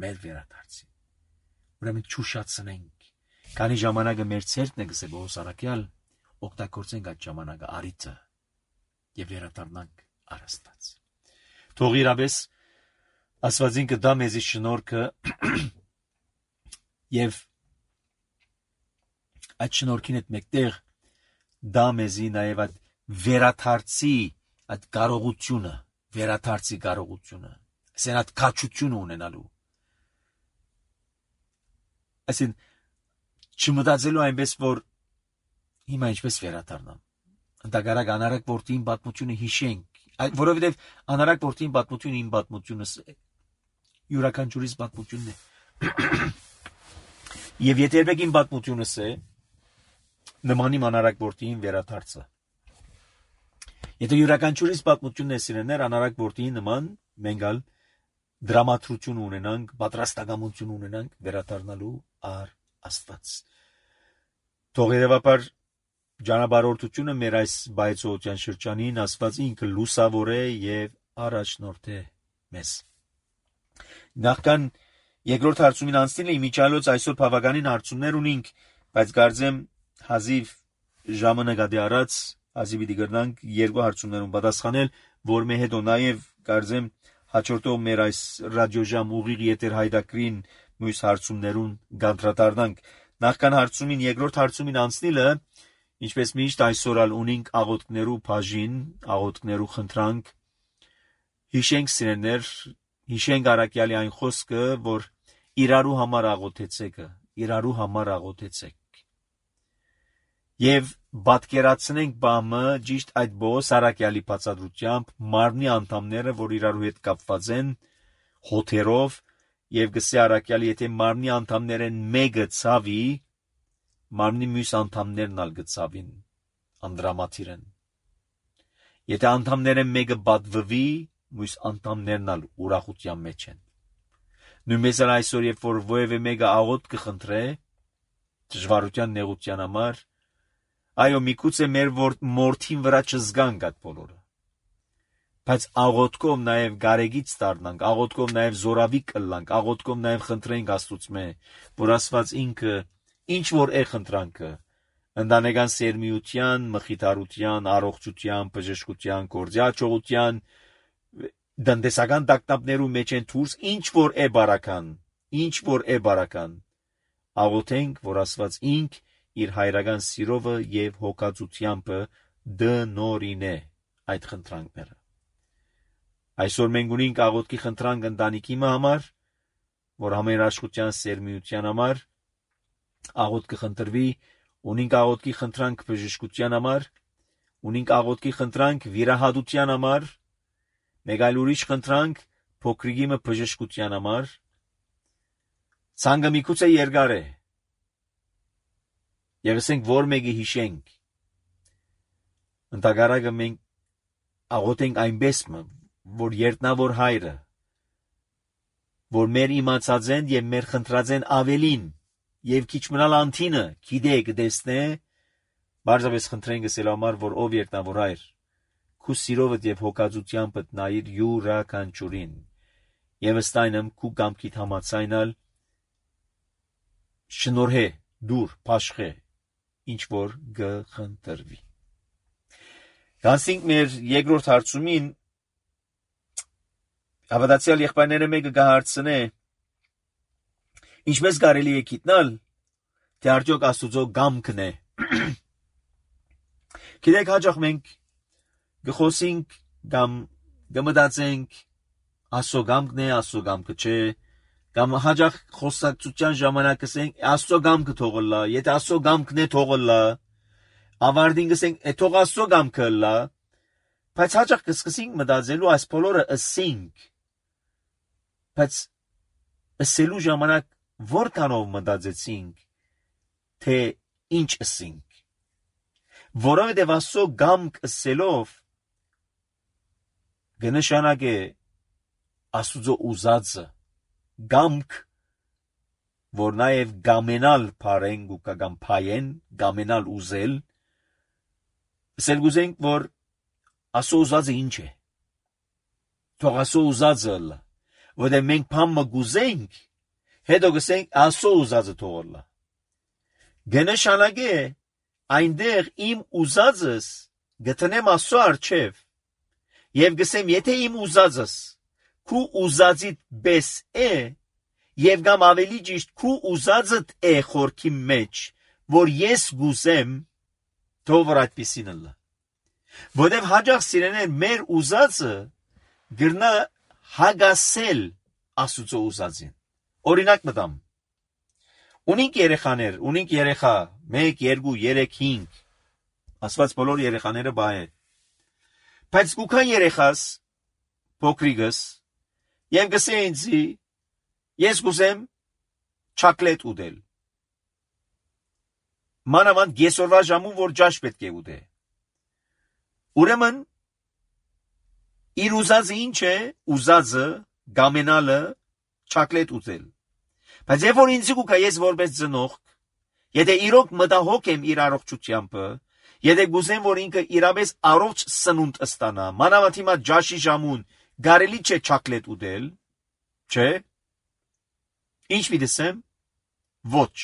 մեր վերադարձին։ Ուրեմն չուշացնենք, քանի ժամանակը մեր ցերկն է գսե Պողոս առաքյալ, օգտագործենք այդ ժամանակը արիթը եւ վերադառնանք առաստած։ Թող իրապես Աստվածին կդա մեզի շնորհքը եւ այդ շնորհքին հետ մեկտեղ դա մեզի նաեւ այդ վերադարձի այդ կարողությունը, վերադարձի կարողությունը Սենատ քաչություն ունենալու։ Այսին չմտածելու այնպես որ հիմա ինչպես վերադառնամ։ Ընդհակառակ անարակ որդին պատմությունը հիշենք, որովհետև անարակ որդին պատմությունը իմ պատմությունս է, յուրաքանչյուրիս պատմությունն է։ Եվ եթե երբեք իմ պատմությունս է, նման իմ անարակ որդին վերադարձը։ Եթե յուրաքանչյուրիս պատմությունն է սիրելիներ, անարակ որդին նման մենգալ դրամատրություն ունենանք, պատրաստակամություն ունենանք վերադառնալու առ Աստված։ Թող երևաբար ճանապարհորդությունը մեր այս բայցոության շրջանին Աստված ինքը լուսավոր է եւ առաջնորդ է մեզ։ Նախքան երկրորդ հարցումին անցնելը իմիջիալոց այսօր բավականին հարցումներ ունենք, բայց կարծեմ հազիվ ժամը նկատի առած հազիվ պիտի գրնանք երկու հարցումներուն պատասխանել, որ մե հետո նաեւ կարծեմ հաջորդող մեր այս ռադիոժամ ուղիղ եթեր հայդակրին մյուս հարցումներուն գանդրադառնանք։ Նախքան հարցումին երկրորդ հարցումին անցնելը, ինչպես միշտ այսօր ալ ունենք աղոթքներու բաժին, աղոթքներու խնդրանք, հիշենք սիրելիներ, հիշենք առաքյալի այն խոսքը, որ իրարու համար աղոթեցեք, իրարու համար աղոթեցեք։ Եվ պատկերացնենք բամը ճիշտ այդ Պողոս առաքյալի բացատրությամբ մարմնի անդամները, որ իրարու հետ կապված են հոթերով, եւ գսե առաքյալի եթե մարմնի անդամներեն մեկը ցավի, մարմնի մյուս անդամներն ալ գցավին անդրամատիրեն։ Եթե անդամներեն մեկը բադվվի, մյուս անդամներն ալ ուրախության մեջ են։ Նույնպես էլ այսօր երբ որ ովևէ մեկը աղոթք կխնդրե դժվարության նեղության համար, այո, միգուցե մեր մորթին վրա չզգանք այդ բոլորը, բայց աղոթքով նաև գարեգից դառնանք, աղոթքով նաև զորավի կլանք, աղոթքով նաև խնդրենք Աստծուծմե, որ Աստված ինքը ինչ որ է խնդրանքը, ընտանեկան սերմիության, մխիթարության, առողջության, բժշկության, գործի հաջողության, դնդեսական տակտապներու մեջ են դուրս, ինչ որ է բարական, ինչ որ է բարական, աղոթենք, որ Աստված ինք իր հայրական սիրովը եւ հոգացությամբ դնորինե այդ խնդրանքները։ Այսօր մենք ունենք աղոթքի խնդրանք ընտանիքի համար, որ համերաշխության սերմիության համար աղոթքը խնդրվի, ունենք աղոթքի խնդրանք բժշկության համար, ունենք աղոթքի խնդրանք վիրահատության համար, մեկ այլ ուրիշ խնդրանք փոքրիկիմը բժշկության համար, ցանկը միգուցե երկար է, եւ ասենք որ մեկը հիշենք, ընդհանրակը մենք աղոթենք այնպես, որ երտնավոր հայրը, որ մեր իմացած են եւ մեր խնդրած են ավելին, եւ քիչ մնալ անթինը, գիտե կտեսնե, բարձրապես խնդրենք ասել համար, որ ով երտնավոր հայր, քու սիրովդ եւ հոգածությամբ նայիր յուրաքանչյուրին, եւ ըստայնմ քու կամքիդ համաձայնալ շնորհե դուր փաշխե ինչ որ գխնդրվի։ Գանցինք մեր երկրորդ հարցումին, հավատացյալ եղբայրները մեկը կհարցնե, ինչպես կարելի է գիտնալ, թե արդյոք Աստուծո կամքն է։ Գիտեք, հաճախ մենք գխոսենք կամ գմտածենք Աստծո կամքն է, Աստծո կամքը չէ, կամ հաճախ խոսակցության ժամանակ ասենք Աստծո կամքը թողնա, եթե Աստծո կամքն է թողնա, ավարտին ասենք է թող Աստծո կամքը լա, բայց հաճախ կսկսենք մտածելու այս բոլորը ասենք, բայց ասելու ժամանակ որքանով մտածեցինք, թե ինչ ասենք, որովհետև Աստծո կամք ասելով կնշանակե Աստուծո ուզածը, կամք, որ նաև գամենալ փարեն ու կամ փայեն, գամենալ ուզել, ասել գուզենք, որ Աստծո ուզածը ինչ է, թող Աստծո ուզածը լա, որտեղ մենք փամը գուզենք, հետո գսենք Աստծո ուզածը թողնա։ Կնշանակե այնտեղ իմ ուզածս գտնեմ Աստծո առջև եւ գսեմ, եթե իմ ուզածս քու ուզածիդ պես է եւ կամ ավելի ճիշտ քու ուզածդ է խորքի մեջ, որ ես գուզեմ, թող որ այդպեսին լա։ Որտեղ հաջող սիրեներ մեր ուզածը գրնա հագասել Աստուծո ուզածին։ Օրինակ մտամ։ Ունենք երեխաներ, ունենք երեխա, մեկ, երկու, երեք, հինգ, ասված բոլոր երեխաները բա է։ Բայց կուքան երեխաս, փոքրիկս, եւ գսե ինձի, ես գուզեմ չակլետ ուտել։ Մանավանդ գեսորվա ժամում, որ ջաշ պետք է ուտե։ Ուրեմն, իր ուզածը ինչ է, ուզածը, գամենալը, չակլետ ուտել։ Բայց երբ որ ինձ կուքա ես որպես ծնող, եթե իրոք մտահոգ եմ իր առողջությամբ, եթե գուզեմ, որ ինքը իրապես առողջ սնունդ ստանա, մանավանդ հիմա ջաշի ժամուն կարելի չէ չակլետ ուտել, չէ։ Ինչ պիտի ասեմ, ոչ։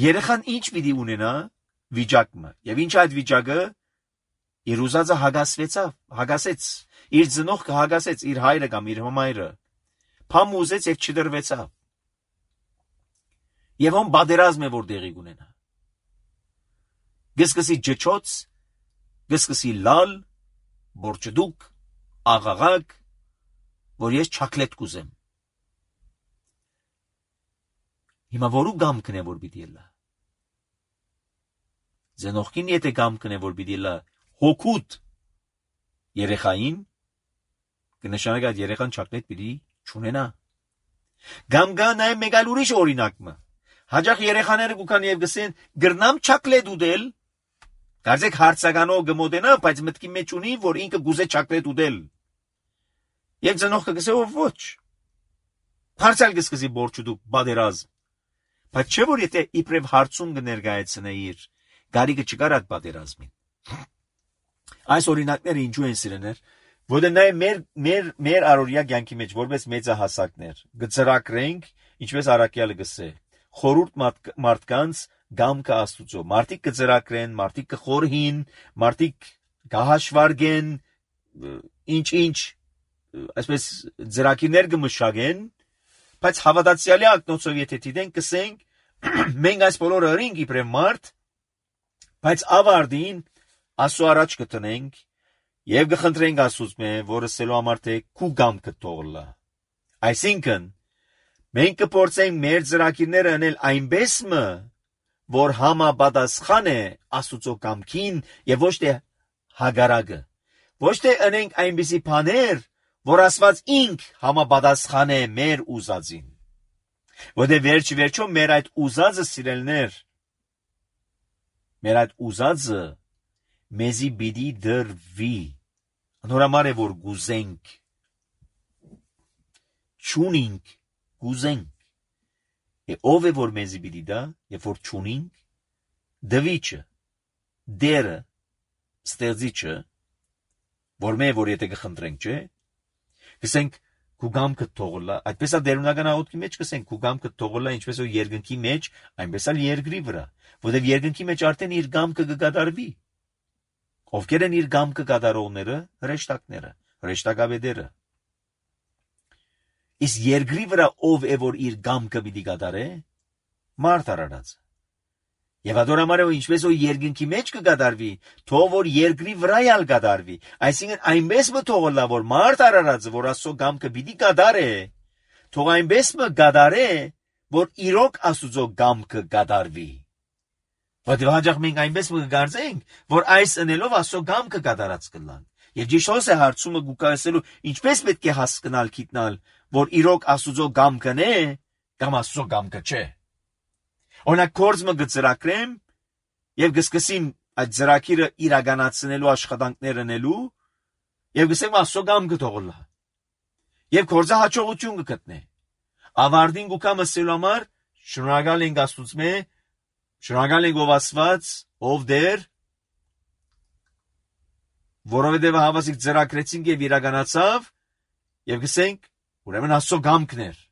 Երեխան ինչ պիտի ունենա վիճակը, եւ ինչ այդ վիճակը իր ուզածը հագասվեցավ, հագասեց, իր ծնողքը հագասեց, իր հայրը կամ իր համայրը, փամ ուզեց եւ չդրվեցավ։ Եվ ում բادرազմ է որ դեղի ունենա։ Գսկսի ջճոց, գսկսի լալ, բորճդուկ, աղաղակ, որ ես չակլետ կուզեմ։ Հիմա որու գամքն է որ պիտի լա։ Ծնողքին եթե գամքն է որ պիտի լա, հոգուտ երեխային, կնշանակի այդ երեխան չակլետ պիտի չունենա։ Գամ գա նաև մեկ այլ ուրիշ օրինակը։ Հաջող երեխաները կուքան եւ գսեն գրնամ չակլետ ուտել, կարծեք հարցականով գմոդենա, բայց մտքի մեջ ունի, որ ինքը գուզե չակլետ ուտել։ Եվ ծնողքը գսե ով ոչ։ Հարցալ գսկսի բորչուդուկ բادرազմ։ Բայց չէ որ եթե իբրև հարցում կներկայացնեիր, գարիգը չկար այդ պատերազմին։ Այս օրինակները ինչու են սիրեներ, որտեղ նաև մեր մեր մեր առօրյա կյանքի մեջ որպես մեծահասակներ գծրակրենք, ինչպես Արաքյալը գսե, խորուրդ մարդկանց գամքը Աստուծո։ Մարդիկ կծրակրեն, մարդիկ կխորհին, մարդիկ կհաշվարգեն, ինչ-ինչ, այսպես ծրակիրներ կմշակեն, բայց հավատացյալի ակնոցով եթե դիտենք, կսենք, մենք այս բոլորը ըրինք իբրև մարդ, բայց ավարտին Աստծո առաջ կտնենք եւ կխնդրենք Աստծո, որը սելու համար թե քու գամքը թողլա։ Այսինքն մենք կփորձենք մեր ծրակիրները անել այնպես մը, որ համապատասխան է Աստծո կամքին եւ ոչ թե հագարակը։ Ոչ թե անենք այնպիսի բաներ, որ Աստված ինք համապատասխան է մեր ուզածին։ Որտեղ վերջ վերջո մեր այդ ուզածը սիրելներ, մեր այդ ուզածը մեզի պիտի դրվի։ Նորամար է որ գուզենք, չունինք, գուզենք։ Է ով է որ մեզի պիտի դա, երբ որ չունինք, դվիչը, դերը, ստեղծիչը, որ մե որ եթե կխնդրենք, չէ, կսենք քու գամքը թողլա, այդպես է դերունական աղոթքի մեջ կսենք քու գամքը թողլա, ինչպես որ երկնքի մեջ, այնպես էլ երկրի վրա, որտեղ երկնքի մեջ արդեն իր գամքը կկատարվի։ Ովքեր են իր գամքը կատարողները, հրեշտակները, հրեշտակաբեդերը։ Իսկ երկրի վրա ով է որ իր գամքը պիտի կատարե, մարդ արարածը։ Եվ adorամարը ինչպես որ երկնքի մեջ կկատարվի, թող որ երկրի վրա ալ կատարվի, այսինքն այնպես մը թողլա որ մարդ արարածը, որ Աստծո գամքը պիտի կատարե, թող այնպես մը կատարե, որ իրոք Աստծո գամքը կատարվի։ Բայց հաջող մենք այնպես մը կգարձենք, որ այս ընելով Աստծո գամքը կատարած կլանք։ Եվ ճիշտ է հարցումը գուկայսելու ինչպես պետք է հասկանալ գիտնալ, որ իրոք Աստծո գամքն է, կամ Աստծո գամքը չէ։ Օրինակ կորձը գծրակրեմ եւ գսկսիմ այդ ծրակիրը իրականացնելու աշխատանքներ անելու եւ գսեմ Աստծո գամքը թողլա։ Եվ կորձը հաջողություն կգտնե։ Ավարտին գուկամը սելու համար շնորհակալ ենք Աստծո, շնորհակալ ենք ով Աստված, ով Տեր, որովհետեւ հավասիկ ծրակրեցինք եւ իրականացավ եւ գսենք ուրեմն Աստծո գամքն էր։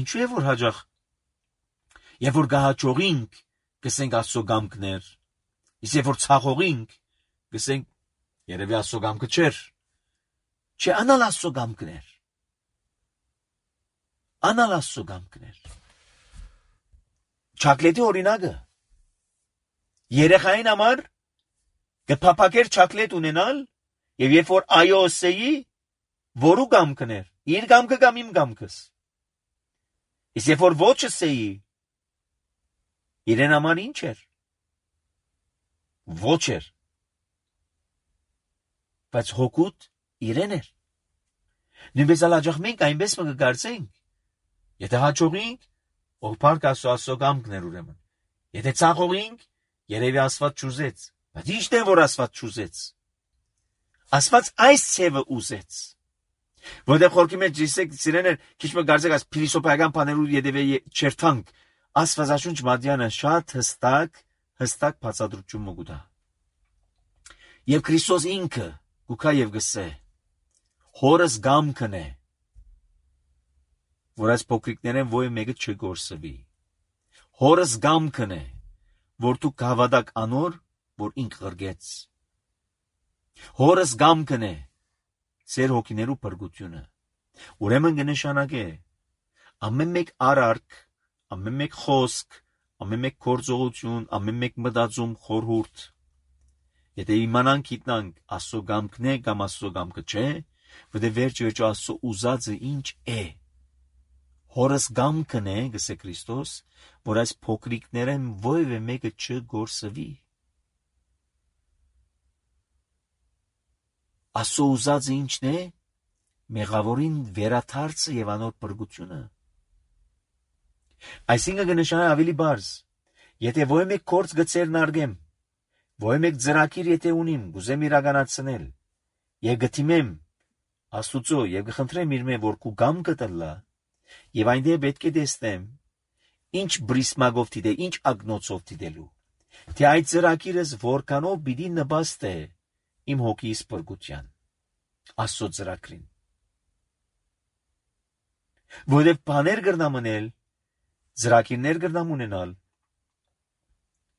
Ինչու է որ հաջող Եվ որ գահաճողինք, գսենք Աստծո գամքներ, իսկ երբ որ ցախողինք, գսենք երևի Աստծո գամքը չէր, չէ անալ Աստծո գամքներ, անալ Աստծո գամքներ։ Չակլետի օրինակը, երեխային համար կփափակեր չակլետ ունենալ, եւ երբ որ այո ասեի, որու գամքներ, իր գամքը կամ իմ գամքս, իսկ երբ որ ոչ ասեի, իրեն համար ինչ էր, ոչ էր, բայց հոգուտ իրեն էր։ Նույնպես ալաջախ մենք այնպես մը կգարձենք, եթե հաջողինք, ողբարկ Աստծո գամքներ ուրեմն, եթե ցախողինք, երևի Աստված չուզեց, բայց ի՞նչն է որ Աստված չուզեց։ Աստված այս ցևը ուզեց, որտեղ խորքի մեջ դիսեք սիրեներ, քիչ մը գարձեք այս փիլիսոփայական բաներու յետևե չերթանք, Աստվածաշունչ Մատյանը շատ հստակ, հստակ բացատրություն մգուտա։ Եվ Քրիստոս ինքը գուքա եւ գսե, հորս գամքն է, որ այս փոքրիկներեն ոյ մեկը չգործվի։ Հորս գամքն է, որ դու կհավատակ անոր, որ ինք ղրգեց։ Հորս գամքն է, ծեր հոգիներու փրկությունը։ Ուրեմն կնշանակե, ամեն մեկ արարք, ամեն մեկ խոսք, ամեն մեկ գործողություն, ամեն մեկ մտածում խորհուրդ։ Եթե իմանանք գիտնանք Աստծո գամքն է կամ Աստծո գամքը չէ, որտեղ վերջ վերջո Աստծո ուզածը ինչ է։ Հորս գամքն է, գսե Քրիստոս, որ այս փոքրիկներեն ովևէ մեկը չգործվի։ Աստծո ուզածը ինչն է, մեղավորին վերաթարցը եւ անոր փրկությունը։ Այսինքն կնշանակի ավելի բարձ, եթե ոչ մեկ կորց գծերն արգեմ, ոչ մեկ ծրակիր եթե ունիմ, գուզեմ իրականացնել, եւ գտիմեմ Աստուծո եւ կխնդրեմ իր մե որ քու գամքը տլա, եւ այնտեղ պետք է տեսնեմ, ինչ բրիսմագով դիտե, ինչ ագնոցով դիտելու, Թե այդ ծրագիրս որքանով պիտի նպաստե իմ հոգիս փրկության, Աստծո ծրագրին։ Որովհետև բաներ կրնամ անել, ծրագիրներ կրնամ ունենալ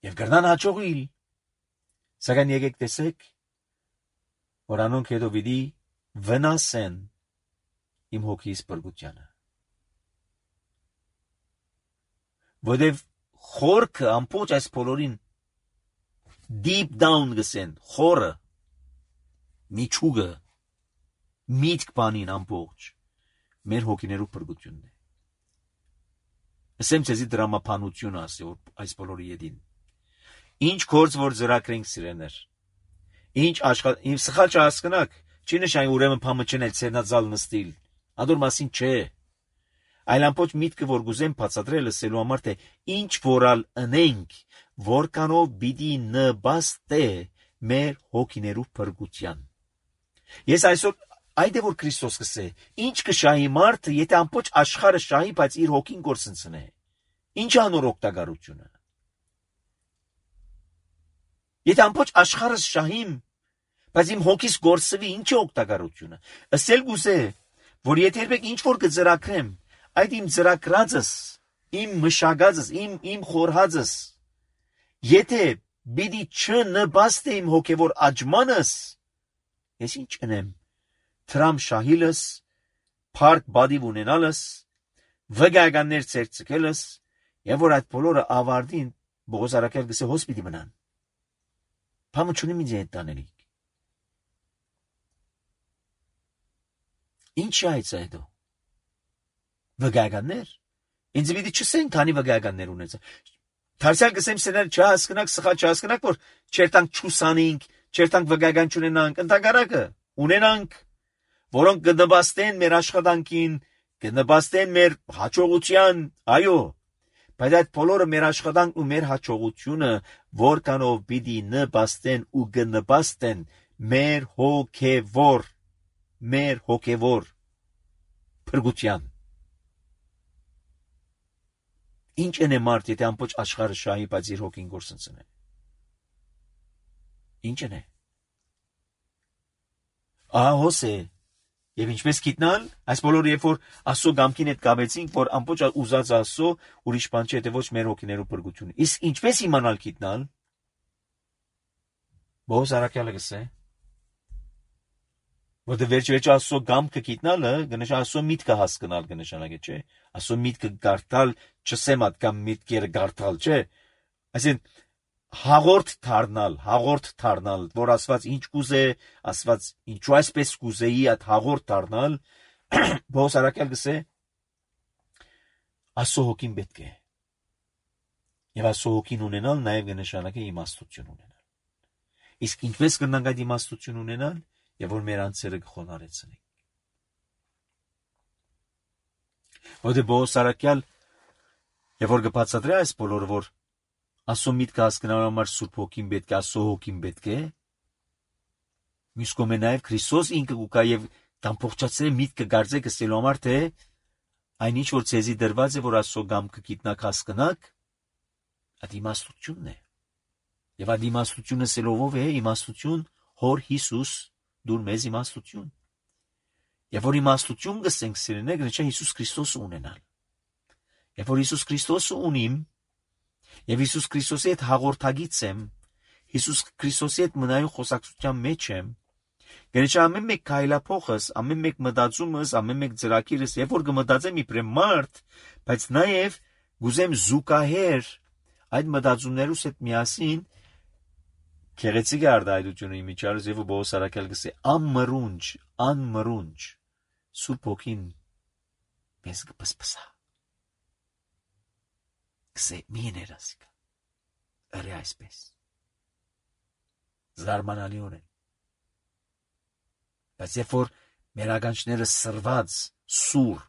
եւ կրնան հաջողիլ, սակայն եկեք տեսեք, որ անոնք հետո պիտի վնասեն իմ հոգիս փրկությանը։ Որովհետև խորքը ամբողջ այս բոլորին deep down գսեն, խորը, միջուկը, միտք բանին ամբողջ, մեր հոգիներու փրկությունն է։ Ասեմ ցեզի դրամապանություն ասի, որ այս բոլորի յետին։ Ինչ գործ որ ծրագրենք սիրեներ, ինչ աշխատ, իմ սխալ չհասկնաք, չի նշանի ուրեմն փամը չնել ցերնածալ նստիլ, ադոր մասին չէ։ Այլ ամբողջ միտքը որ գուզեմ բացատրել ասելու համար թե ինչ որալ ընենք, որքանով պիտի նպաստե մեր հոգիներու փրկության։ Ես այսօր այդ է որ Քրիստոս կսե, ինչ կշահի մարդը, եթե ամբողջ աշխարհը շահի, բայց իր հոգին կորսնցնե։ Ինչ անոր օգտակարությունը։ Եթե ամբողջ աշխարհը շահիմ, բայց իմ հոգիս կորսվի, ինչ է օգտակարությունը։ Ասել գուզե, որ եթե երբեք ինչ որ կծրագրեմ, այդ իմ ծրագրածս, իմ մշակածս, իմ իմ խորհածս, եթե պիտի չնպաստե իմ հոգևոր աճմանս, ես ինչ անեմ։ Թրամ շահիլս, փարք բադիվ ունենալս, վգայականներ ցերցկելս, եւ որ այդ բոլորը ավարտին Բողոս Արաքել գսե հոս պիտի մնան։ Փամը չունի ինձ հետ տանելիք։ Ինչ է այդ այդո։ Վգայականներ։ Ինձ պիտի չսեն քանի վգայականներ ունեցա։ Թարսյալ գսեմ սեներ չհասկնակ, սխալ չհասկնակ, որ չերտանք չուսանինք, չերտանք վգայական չունենանք, ընդհանրակը ունենանք, որոնք կնպաստեն մեր աշխատանքին, կնպաստեն մեր հաջողության, այո, բայց այդ բոլորը մեր աշխատանքն ու մեր հաջողությունը որքանով պիտի նպաստեն ու կնպաստեն մեր հոգևոր, մեր հոգևոր փրկության։ Ինչ են է մարդ, եթե ամբողջ աշխարհը շահի, բայց իր հոգին գործընծնե։ Ինչ են է։ Ահա հոս է։ Եվ ինչպես գիտնալ, այս բոլորը երբ որ Աստծո գամքին հետ կապեցինք, որ ամբողջ ուզած Աստծո ուրիշ բան չէ, թե ոչ մեր հոգիներու փրկությունը։ Իսկ ինչպես իմանալ գիտնալ։ Բողոս Արաքյալը գսե, որ դե վերջ-վերջ Աստծո գամքը գիտնալը, գնաց Աստծո միտքը հասկանալ կնշանակե, չէ։ Աստծո միտքը գարտալ, չսեմ ատկամ միտքերը գարտալ, չէ։ Այսինքն հաղորդ դառնալ, հաղորդ դառնալ, որ Աստված ինչ կուզե, Աստված ինչու այսպես կուզեի այդ հաղորդ դառնալ, Բողոս Արաքյալ գսե, Աստծո հոգին պետք է։ Եվ Աստծո հոգին ունենալ նաև կնշանակե իմաստություն ունենալ։ Իսկ ինչպես կնանք այդ իմաստություն ունենալ, եւ որ մեր անձերը կխոնարեցնենք։ Որտե Բողոս Արաքյալ եւ որ կբացատրի այս բոլորը, որ Աստծո միտքը հասկանալու համար Սուրբ Հոգին պետք է, Աստծո հոգին պետք է։ Մյուս կողմը նաև Քրիստոս ինքը կուկա եւ կամփոխացրե միտքը գարձե կստելու համար թե այնինչ որ ցեզի դրված է որ Աստծո գամքը գիտնակ հասկանաք, այդ իմաստությունն է։ Եվ այդ իմաստությունը սելով է իմաստություն Հոր Հիսուս դուր մեզ իմաստություն։ Եվ որ իմաստություն գսենք սիրելիներ, գնաց Հիսուս Քրիստոսը ունենալ։ Եվ որ Հիսուս Քրիստոսը ունիմ, եւ Հիսուս Քրիստոսի հետ հաղորդագից եմ, Հիսուս Քրիստոսի հետ մնայուն խոսակցության մեջ եմ, գնաց ամեն մեկ քայլափոխս, ամեն մեկ մտածումս, ամեն մեկ ծրագիրս, եւ որ կմտածեմ իբրեմ մարդ, բայց նաեւ գուզեմ զուգահեռ այդ մտածումներուս հետ միասին Քեղեցիկ արդայությունը իմիջարս եւ Բողոս Արաքյալ գսե անմրունջ, անմրունջ Սուրբ Հոգին մեզ կպսպսա։ Գսե մի ներասիկա։ Արի այսպես։ Զարմանալիորեն։ Բայց երբ որ մեր ականջները սրված, սուր,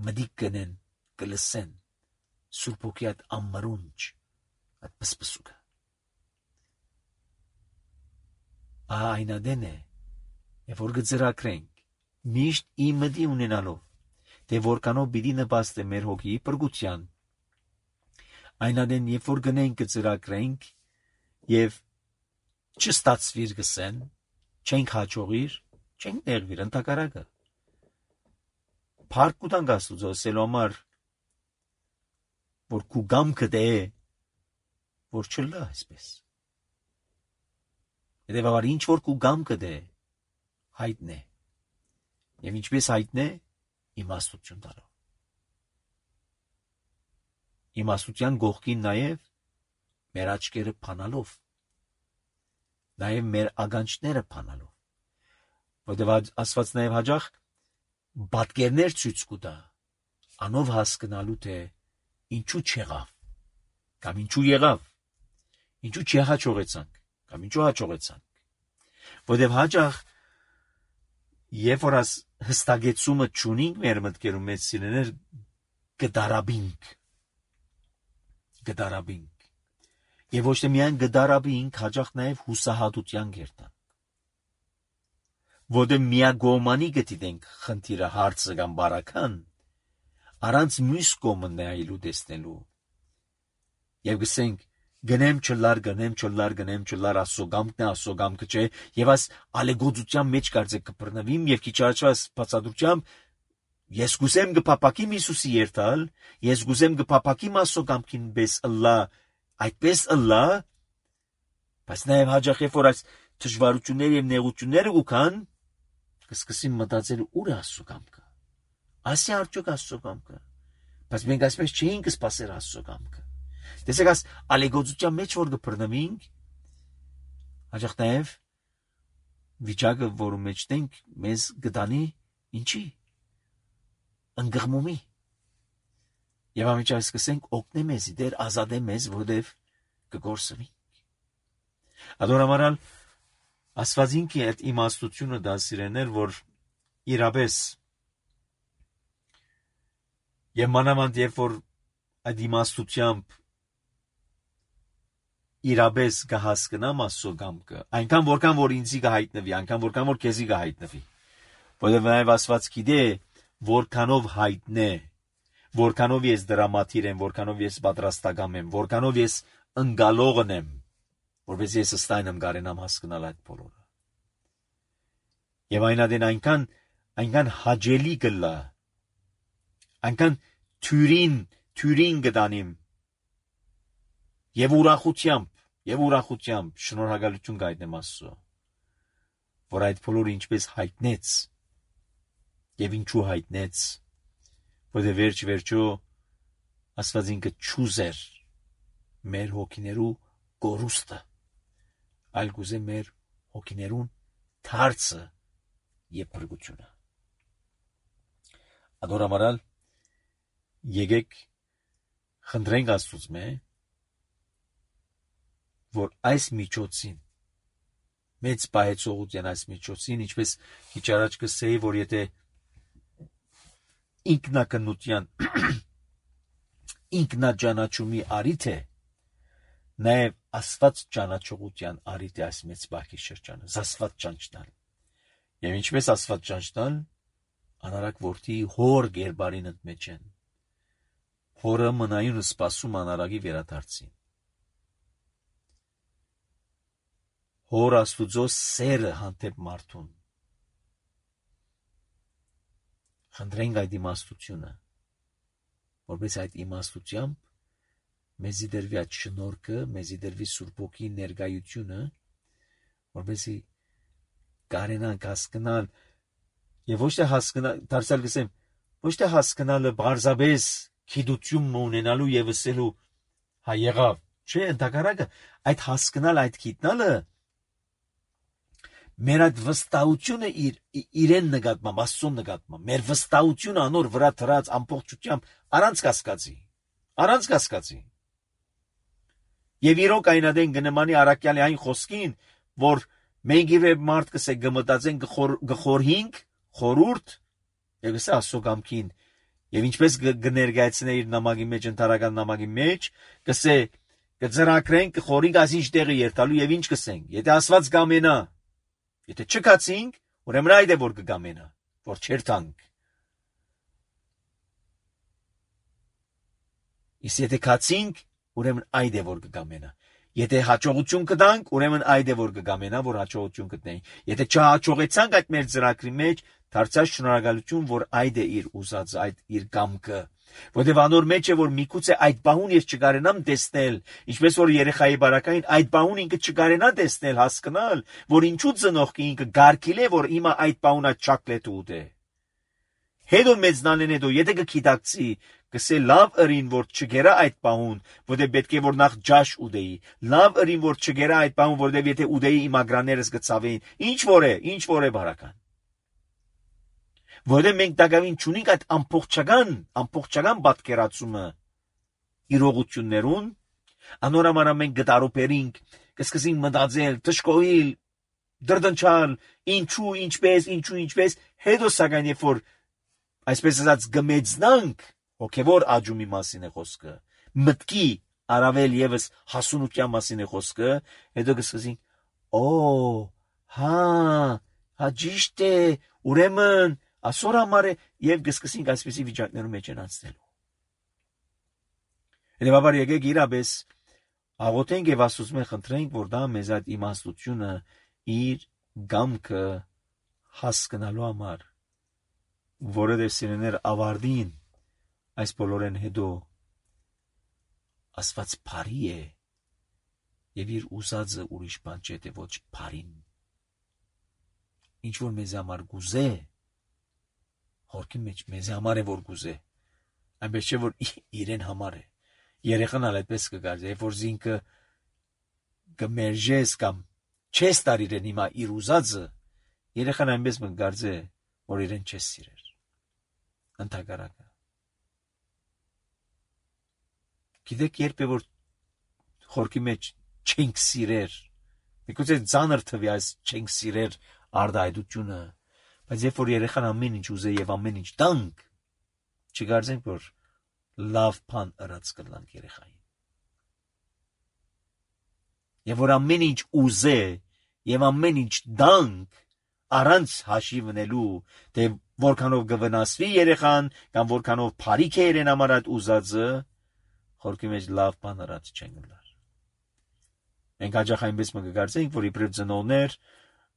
մդիկ կնեն, կլսեն Սուրբ Հոգի այդ անմրունջ, այդ պսպսուկը։ Ահա այնադեն է, եւ որ գծրակրենք, միշտ իմդի ունենալով, թե որքանով պիտի նպաստե մեր հոգիի փրկության, այնադեն երբ որ գնենք կծրակրենք եւ չստացվիր գսեն, չենք հաջողիր, չենք ներվիր ընդհակառակը։ Փառք կտանք Աստծո ասելու համար, որ քու գամքը դե որ չլա այսպես։ Հետևաբար ինչ որ քու գամքը դե հայտնե։ Եվ ինչպես հայտնե իմաստություն տալով։ Իմաստության գողքին նաև մեր աչքերը փանալով, նաև մեր ագանչները փանալով, որտեղ Աստված նաև հաջող բատկերներ ցույց կտա, անով հասկանալու թե ինչու չեղավ, կամ ինչու եղավ, ինչու չհաջողեցանք, կամ ինչու հաջողեցանք, որտեղ հաջող երբ որ աս հստակեցումը չունենք մեր մտքերում մեծ սիրեներ գդարաբինք, գդարաբինք, եւ ոչ թե միայն գդարաբինք, հաջող նաև հուսահատության գերտան, որտեղ միագոմանի գտիտենք խնդիրը հարցը կամ բարական, առանց մյուս կողմը նայելու տեսնելու, եւ գսենք գնեմ չլար, գնեմ չլար, գնեմ չլար, ասոգամքն է, ասոգամքը չէ, եւ աս ալեգոծության մեջ կարծեք կբռնվիմ եւ քիչ առաջվա բացատրությամբ ես գուսեմ գփապակիմ Հիսուսի երթալ, ես գուսեմ գփապակիմ ասոգամքին բես ըլլա, այդպես ըլլա, բայց նաեւ հաջող է որ այս դժվարությունները եւ նեղությունները ուքան կսկսին մտածել ուր է ասոգամքը, ասի արդյոք ասոգամքը, բայց մենք այսպես չէինք սպասել ասոգամքը։ Տեսեք աս ալեգոծության մեջ որ գբռնվինք, հաջող նաև վիճակը, որում մեջ ենք, մեզ գտանի ինչի, ընկղմումի, եւ ամիջայ սկսենք օգնե մեզ, դեր ազատե մեզ, որովհետեւ կգործվենք։ Adoramaral Աստվածինքի այդ իմաստությունը դա սիրեներ, որ իրապես եւ մանավանդ երբ որ այդ իմաստությամբ իրապես կհասկնամ Աստծո կամքը, այնքան որքան որ ինձի կհայտնվի, այնքան որքան որ քեզի կհայտնվի, որովհետեւ նաեւ Աստված գիտե որքանով հայտնե, որքանով ես դրամատիր եմ, որքանով ես պատրաստական եմ, որքանով ես ընկալողն եմ, որպես ես ստայնեմ կարենամ հասկանալ այդ բոլորը։ Եվ այնադեն այնքան այնքան հաջելի կլա, այնքան թյուրին թյուրին կդանիմ եւ ուրախությամբ եւ ուրախությամբ շնորհակալություն կայտնեմ Աստծո, որ այդ բոլորը ինչպես հայտնեց եւ ինչու հայտնեց, որտեղ վերջ վերջո Աստվածինքը ճուզեր մեր հոգիներու կորուստը, այլ գուզե մեր հոգիներուն թարցը եւ բրգությունը։ Adoramaral եկեք խնդրենք Աստծուց մե որ այս միջոցին մեծ պահեցողության այս միջոցին, ինչպես քիչ առաջ կսեի, որ եթե ինքնակնության ինքնաճանաչումի արիթ է, նաև Աստված ճանաչողության արիթ է այս մեծ բախի շրջանը, Աստված ճանչնալ։ Եվ ինչպես Աստված ճանչնալ, անարակ որդի հոր գերբարին ընդմեջ են, հորը մնայուն սպասում անարագի վերադարձին։ Հոր Աստուծո սերը հանդեպ մարդուն։ Խնդրենք այդ իմաստությունը, որպես այդ իմաստությամբ մեզի դրվի այդ շնորհքը, մեզի դրվի Սուրբ Հոգի ներկայությունը, որպեսզի կարենանք հասկանալ եւ ոչ թե հասկանալ, դարձյալ գսեմ, ոչ թե հասկանալը բարձաբես քիդություն ունենալու եւ ասելու հա եղավ, չէ, ընդհակառակը այդ հասկանալ, այդ գիտնալը մեր այդ վստահությունը իր իրեն նկատմամբ, Աստծո նկատմամբ, մեր վստահությունը անոր վրա դրած ամբողջությամբ առանց կասկածի, առանց կասկածի։ Եվ իրոք այնադեն գնմանի արաքյալի այն խոսքին, որ մենք իվե մարդ կսե գմտածեն գխորհինք, խորուրդ, եւ գսե Աստծո կամքին, եւ ինչպես կներկայացնե իր նամակի մեջ, ընթարական նամակի մեջ, կսե կձրակրենք, կխորինք ասինչ տեղը երթալու եւ ինչ կսենք, եթե Աստված կամենա, եթե չկացինք, ուրեմն այդ է որ կգամենա, որ չերթանք։ Իսկ եթե կացինք, ուրեմն այդ է որ կգամենա։ Եթե հաջողություն կտանք, ուրեմն այդ է որ կգամենա, որ հաջողություն գտնենք։ Եթե չհաջողեցանք այդ մեր ծրագրի մեջ, դարձած շնորհակալություն, որ այդ է իր ուզածը, այդ իր կամքը։ Որտեւ անոր մեջ է որ միգուցե այդ բահուն ես չկարենամ տեսնել, ինչպես որ երեխայի բարակային այդ բահուն ինքը չկարենա տեսնել, հասկանալ, որ ինչու ծնողքը ինքը գարկիլ է, որ հիմա այդ բահունը չոկոլետ ուտե։ Հետո մեծնալեն հետո եթե կգիտակցի, կսե լավ ըրին որ չգերա այդ բահուն, որտեղ պետք է որ նախ ջաշ ուդեի, լավ ըրին որ չգերա այդ բահուն, որտեղ եթե ուդեի իմ ագրաներս կցավեին, ինչ որ է, ինչ որ է բարական։ Որտեղ մենք դակավին չունենք այդ ամբողջական, ամբողջական պատկերացումը իրողություններուն, անորամարա մենք գտարուպերինք, կսկսենք մտածել, դժկոհիլ, դրդնչալ, ինչու, ինչպես, ինչու, ինչպես, հետո սակայն երբ որ այսպես ասած գմեծնանք, հոգևոր աճումի մասին է խոսքը, մտքի առավել եւս հասունության մասին է խոսքը, հետո կսկսենք, օ, հա, հա ճիշտ է, ուրեմն ասոր համար է եւ կսկսենք այսպեսի վիճակներում մեջ են անցնելու։ Հետևաբար եկեք իրապես աղոթենք եւ Աստծուց խնդրենք, որ դա մեզ այդ իմաստությունը իր գամքը հասկանալու համար, որը սիրեներ ավարտին այս բոլորեն հետո Աստված բարի է եւ իր ուզածը ուրիշ բան չէ, թե ոչ բարին։ Ինչ որ մեզ համար գուզե, հորքի մեջ մեզ համար է որ գուզե, այնպես չէ որ իրեն համար է։ Երեխան ալ այդպես կգարձի, երբ որ զինքը կմերժես կամ չես տար իրեն հիմա իր ուզածը, երեխան այնպես կգարձի, որ իրեն չես սիրեր։ Ընդհակառակը։ Գիտեք երբ է որ խորքի մեջ չենք սիրեր, միգուցե ծանր թվի այս չենք սիրեր արդայդությունը, բայց երբ որ երեխան ամեն ինչ ուզե եւ ամեն ինչ տանք, չգարձենք որ լավ բան ըրած կլանք երեխային։ Եվ որ ամեն ինչ ուզե եւ ամեն ինչ տանք առանց հաշիվնելու, թե որքանով կվնասվի երեխան կամ որքանով բարիք է իրեն համար այդ ուզածը, խորքի մեջ լավ բան ըրած չեն գլար։ Մենք հաճախ այնպես կգարձենք, որ իբրև ծնողներ,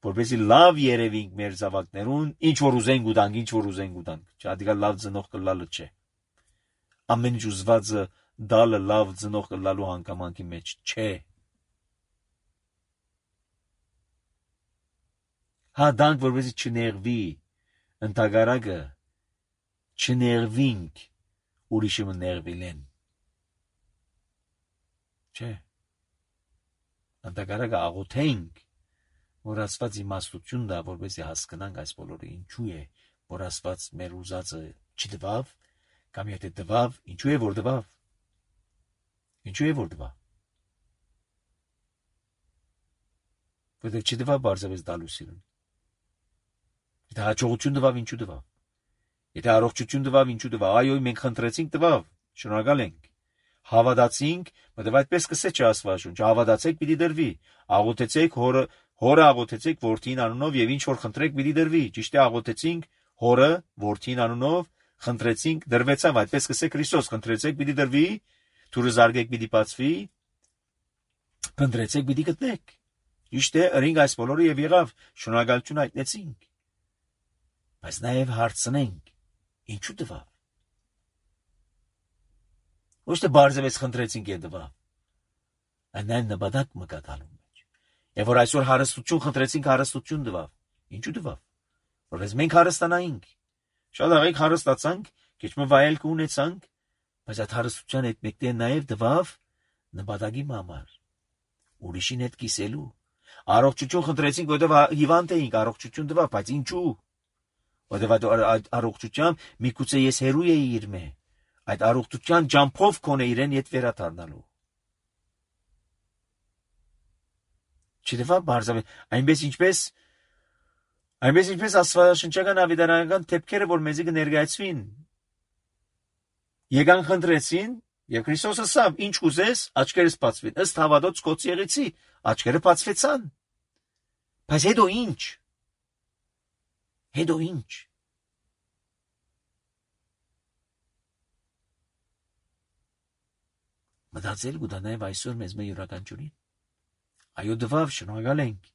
որպեսզի լավ երևենք մեր զավակներուն, ինչ որ ուզենք ուտանք, ինչ որ ուզենք ուտանք, չադիկա լավ ծնող կլալը չէ։ Ամեն ինչ ուզվածը դալը լավ ծնող կլալու հանգամանքի մեջ չէ։ Հա դանք որպեսզի չներվի, ընդհակառակը չներվինք, ուրիշը ներվիլեն։ Չէ։ Ընդհակառակը աղոթենք, որ Աստված իմաստություն տա, որպեսզի հասկանանք այս բոլորը ինչու է, որ Աստված մեր ուզածը չտվավ, կամ եթե տվավ, ինչու է որ տվավ։ Ինչու է որ տվավ։ Որտեղ չտվավ բարձրապես տալու սիրուն։ Եթե հաջողություն տվավ, ինչու տվավ։ Եթե առողջություն տվավ, ինչու տվավ։ Այո, մենք խնդրեցինք տվավ, շնորհակալ ենք։ Հավատացինք, մտավ այդպես կսե չէ Աստվածաշունչը, հավատացեք պիտի դրվի, աղոթեցեք հորը, հորը աղոթեցեք որդին անունով եւ ինչ որ խնդրեք պիտի դրվի, ճիշտ է աղոթեցինք հորը որդին անունով, խնդրեցինք դրվեցավ, այդպես կսե Քրիստոս, խնդրեցեք պիտի դրվի, թուրը զարգեք պիտի բացվի, փնտրեցեք պիտի գտնեք։ Ճիշտ է, ըրինք այս բոլորը եւ եղավ, շնորհակալություն հայտնեցինք։ Բայց նաեւ հարցնենք, ինչու տվավ։ Ոչ թե բարձրապես խնդրեցինք է տվավ, այն այն նպատակ մկատալու մեջ։ Եվ որ այսօր հարստություն խնդրեցինք, հարստություն տվավ։ Ինչու տվավ։ Որպես մենք հարստանայինք։ Շատ աղեք հարստացանք, քիչ մը վայելք ունեցանք, բայց այդ հարստության հետ մեկտեղ նաեւ տվավ նպատակի համար։ Ուրիշին հետ կիսելու։ Առողջություն խնդրեցինք, որտեղ հիվանդ էինք, առողջություն տվավ, բայց ինչու։ Որտեղ այդ առողջությամբ միգուցե ես հերույ էի իր մե։ Այդ առողջության ջամփով կոնե իրեն իդ վերադառնալու։ Չդեպա բարձր, այնպես ինչպես այնպես ինչպես աստվածաշնչական ավետարանական թեփքերը, որ մեզի կներկայացվին։ Եկան խնդրեցին, եւ Քրիստոսը ասավ. «Ինչ կուզես, աչքերս բացվին»։ Ըստ հավատոց կոծի եղեցի, աչքերը բացվեցան։ Բայց հետո ինչ։ Հետո ինչ։ մտածել գուտա նաև այսօր մեզ մե յուրաքանչյուրին։ Այո, դվավ, շնորհակալ ենք։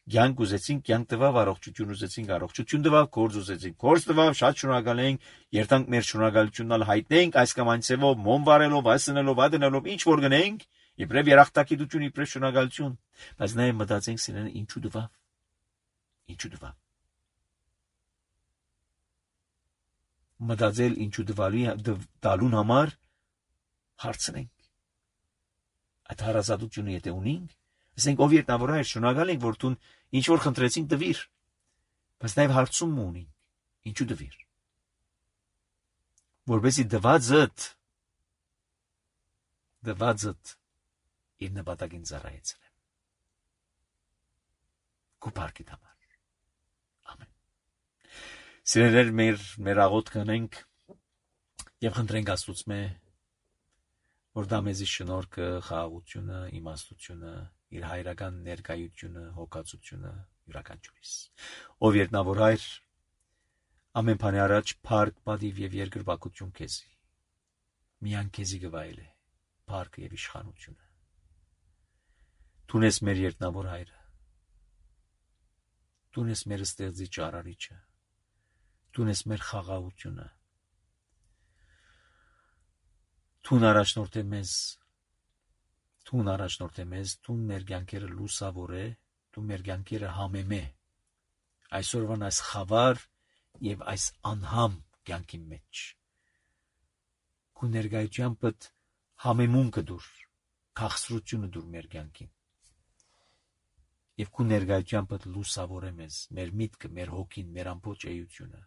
Կյանք ուզեցինք, կյանք տվավ, առողջություն ուզեցինք, առողջություն տվավ, գործ ուզեցինք, գործ տվավ, շատ շնորհակալ ենք, երթանք մեր շնորհակալությունն հայտնենք այս կամ այն ցևով, մոմ վարելով, այսնելով, ադնելով, ինչ որ գնենք, իբրև երախտագիտություն, իբրև շնորհակալություն, բայց նաև մտածենք սիրելիներ, ինչու դվավ։ Ինչու դվավ։ Մտածել ինչու դվալի դալուն համար հարցնենք։ Այդ հարազատությունը եթե ունենք, ասենք ով երտնավոր է, շնորհակալ ենք, որ դու ինչ որ խնդրեցին տվիր, բայց նաև հարցում ունենք, ինչու տվիր։ Որպեսզի դվածդ դվածդ իր նպատակին ծառայեցնեմ։ Քո բարգետ համար։ Ամեն։ Սիրելիներ, մեր մեր աղոթք կանենք եւ խնդրենք Աստծուց մե, որ դա մեզի շնորհքը, խաղաղությունը, իմաստությունը, իր հայրական ներկայությունը, հոգացությունը յուրաքանչյուրիս։ Ով երտնավոր հայր, ամեն բանի առաջ փառք, պատիվ եւ երկրպագություն քեզի։ Միան քեզի գվայել է փառքը եւ իշխանությունը։ Դու ես մեր երտնավոր հայրը։ Դու ես մեր ստեղծիչ արարիչը։ Դու ես մեր խաղաղությունը։ Դու առաջնորդ ես մեզ, դու առաջնորդ ես մեզ, դու մեր կյանքերը լուսավոր է, դու մեր կյանքերը համեմե։ Այսօրվան այս խավար եւ այս անհամ կյանքի մեջ։ Քո ներկայությամբ համեմունքը դուր, քաղցրությունը դուր մեր կյանքին։ Եվ քո ներկայությամբ լուսավոր է մեզ, մեր միտքը, մեր հոգին, մեր ամբողջ էությունը,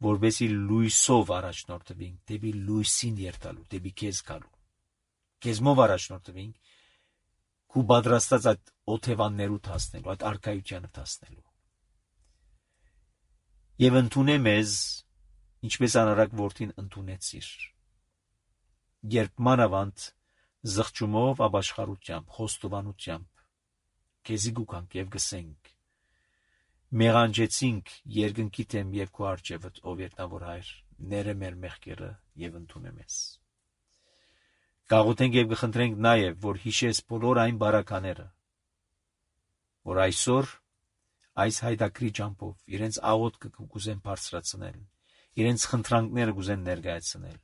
որովհետեւ լույսով առաջնորդվենք, դեպի լույսին երթալու, դեպի քեզ գալու։ Քեզմով առաջնորդվենք, քու պատրաստած այդ օթևաններու հասնելու, այդ արքայությանը հասնելու։ Եվ ընդունե մեզ, ինչպես անարակ որդին ընդունեցիր։ Երբ մանավանդ զղջումով, ապաշխարությամբ, խոստովանությամբ քեզի գուքանք եւ գսենք, մեղանջեցինք երկնքի դեմ եւ քո արջևդ, ով երտնավոր հայր, ները մեր մեղքերը եւ ընդունե մեզ։ Գաղութենք եւ գխնդրենք նաեւ, որ հիշես բոլոր այն բարակաները, որ այսօր այս հայդակրի ճամփով իրենց աղոթքը կուզեն բարձրացնել, իրենց խնդրանքները կուզեն ներկայացնել։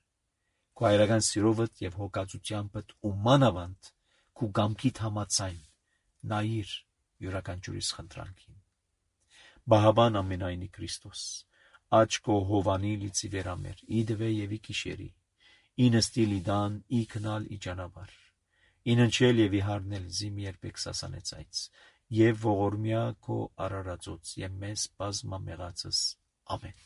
Քո հայրական սիրովդ եւ հոգացությամբ ու մանավանդ քո գամքիդ համացայն նայիր յուրաքանչյուրիս խնդրանքին։ Բահաբան ամենայնի Քրիստոս, աչքո հովանի լիցի վերամեր, իդվե եւ ի կիշերի, ինստիլ իդան, ի քնալ ի ճանապար, իննչել եւ ի հարնել զիմ երբեք սասանեց այց, եւ ողորմյա քո արարածոց եւ մեզ բազմամեղացս, ամեն։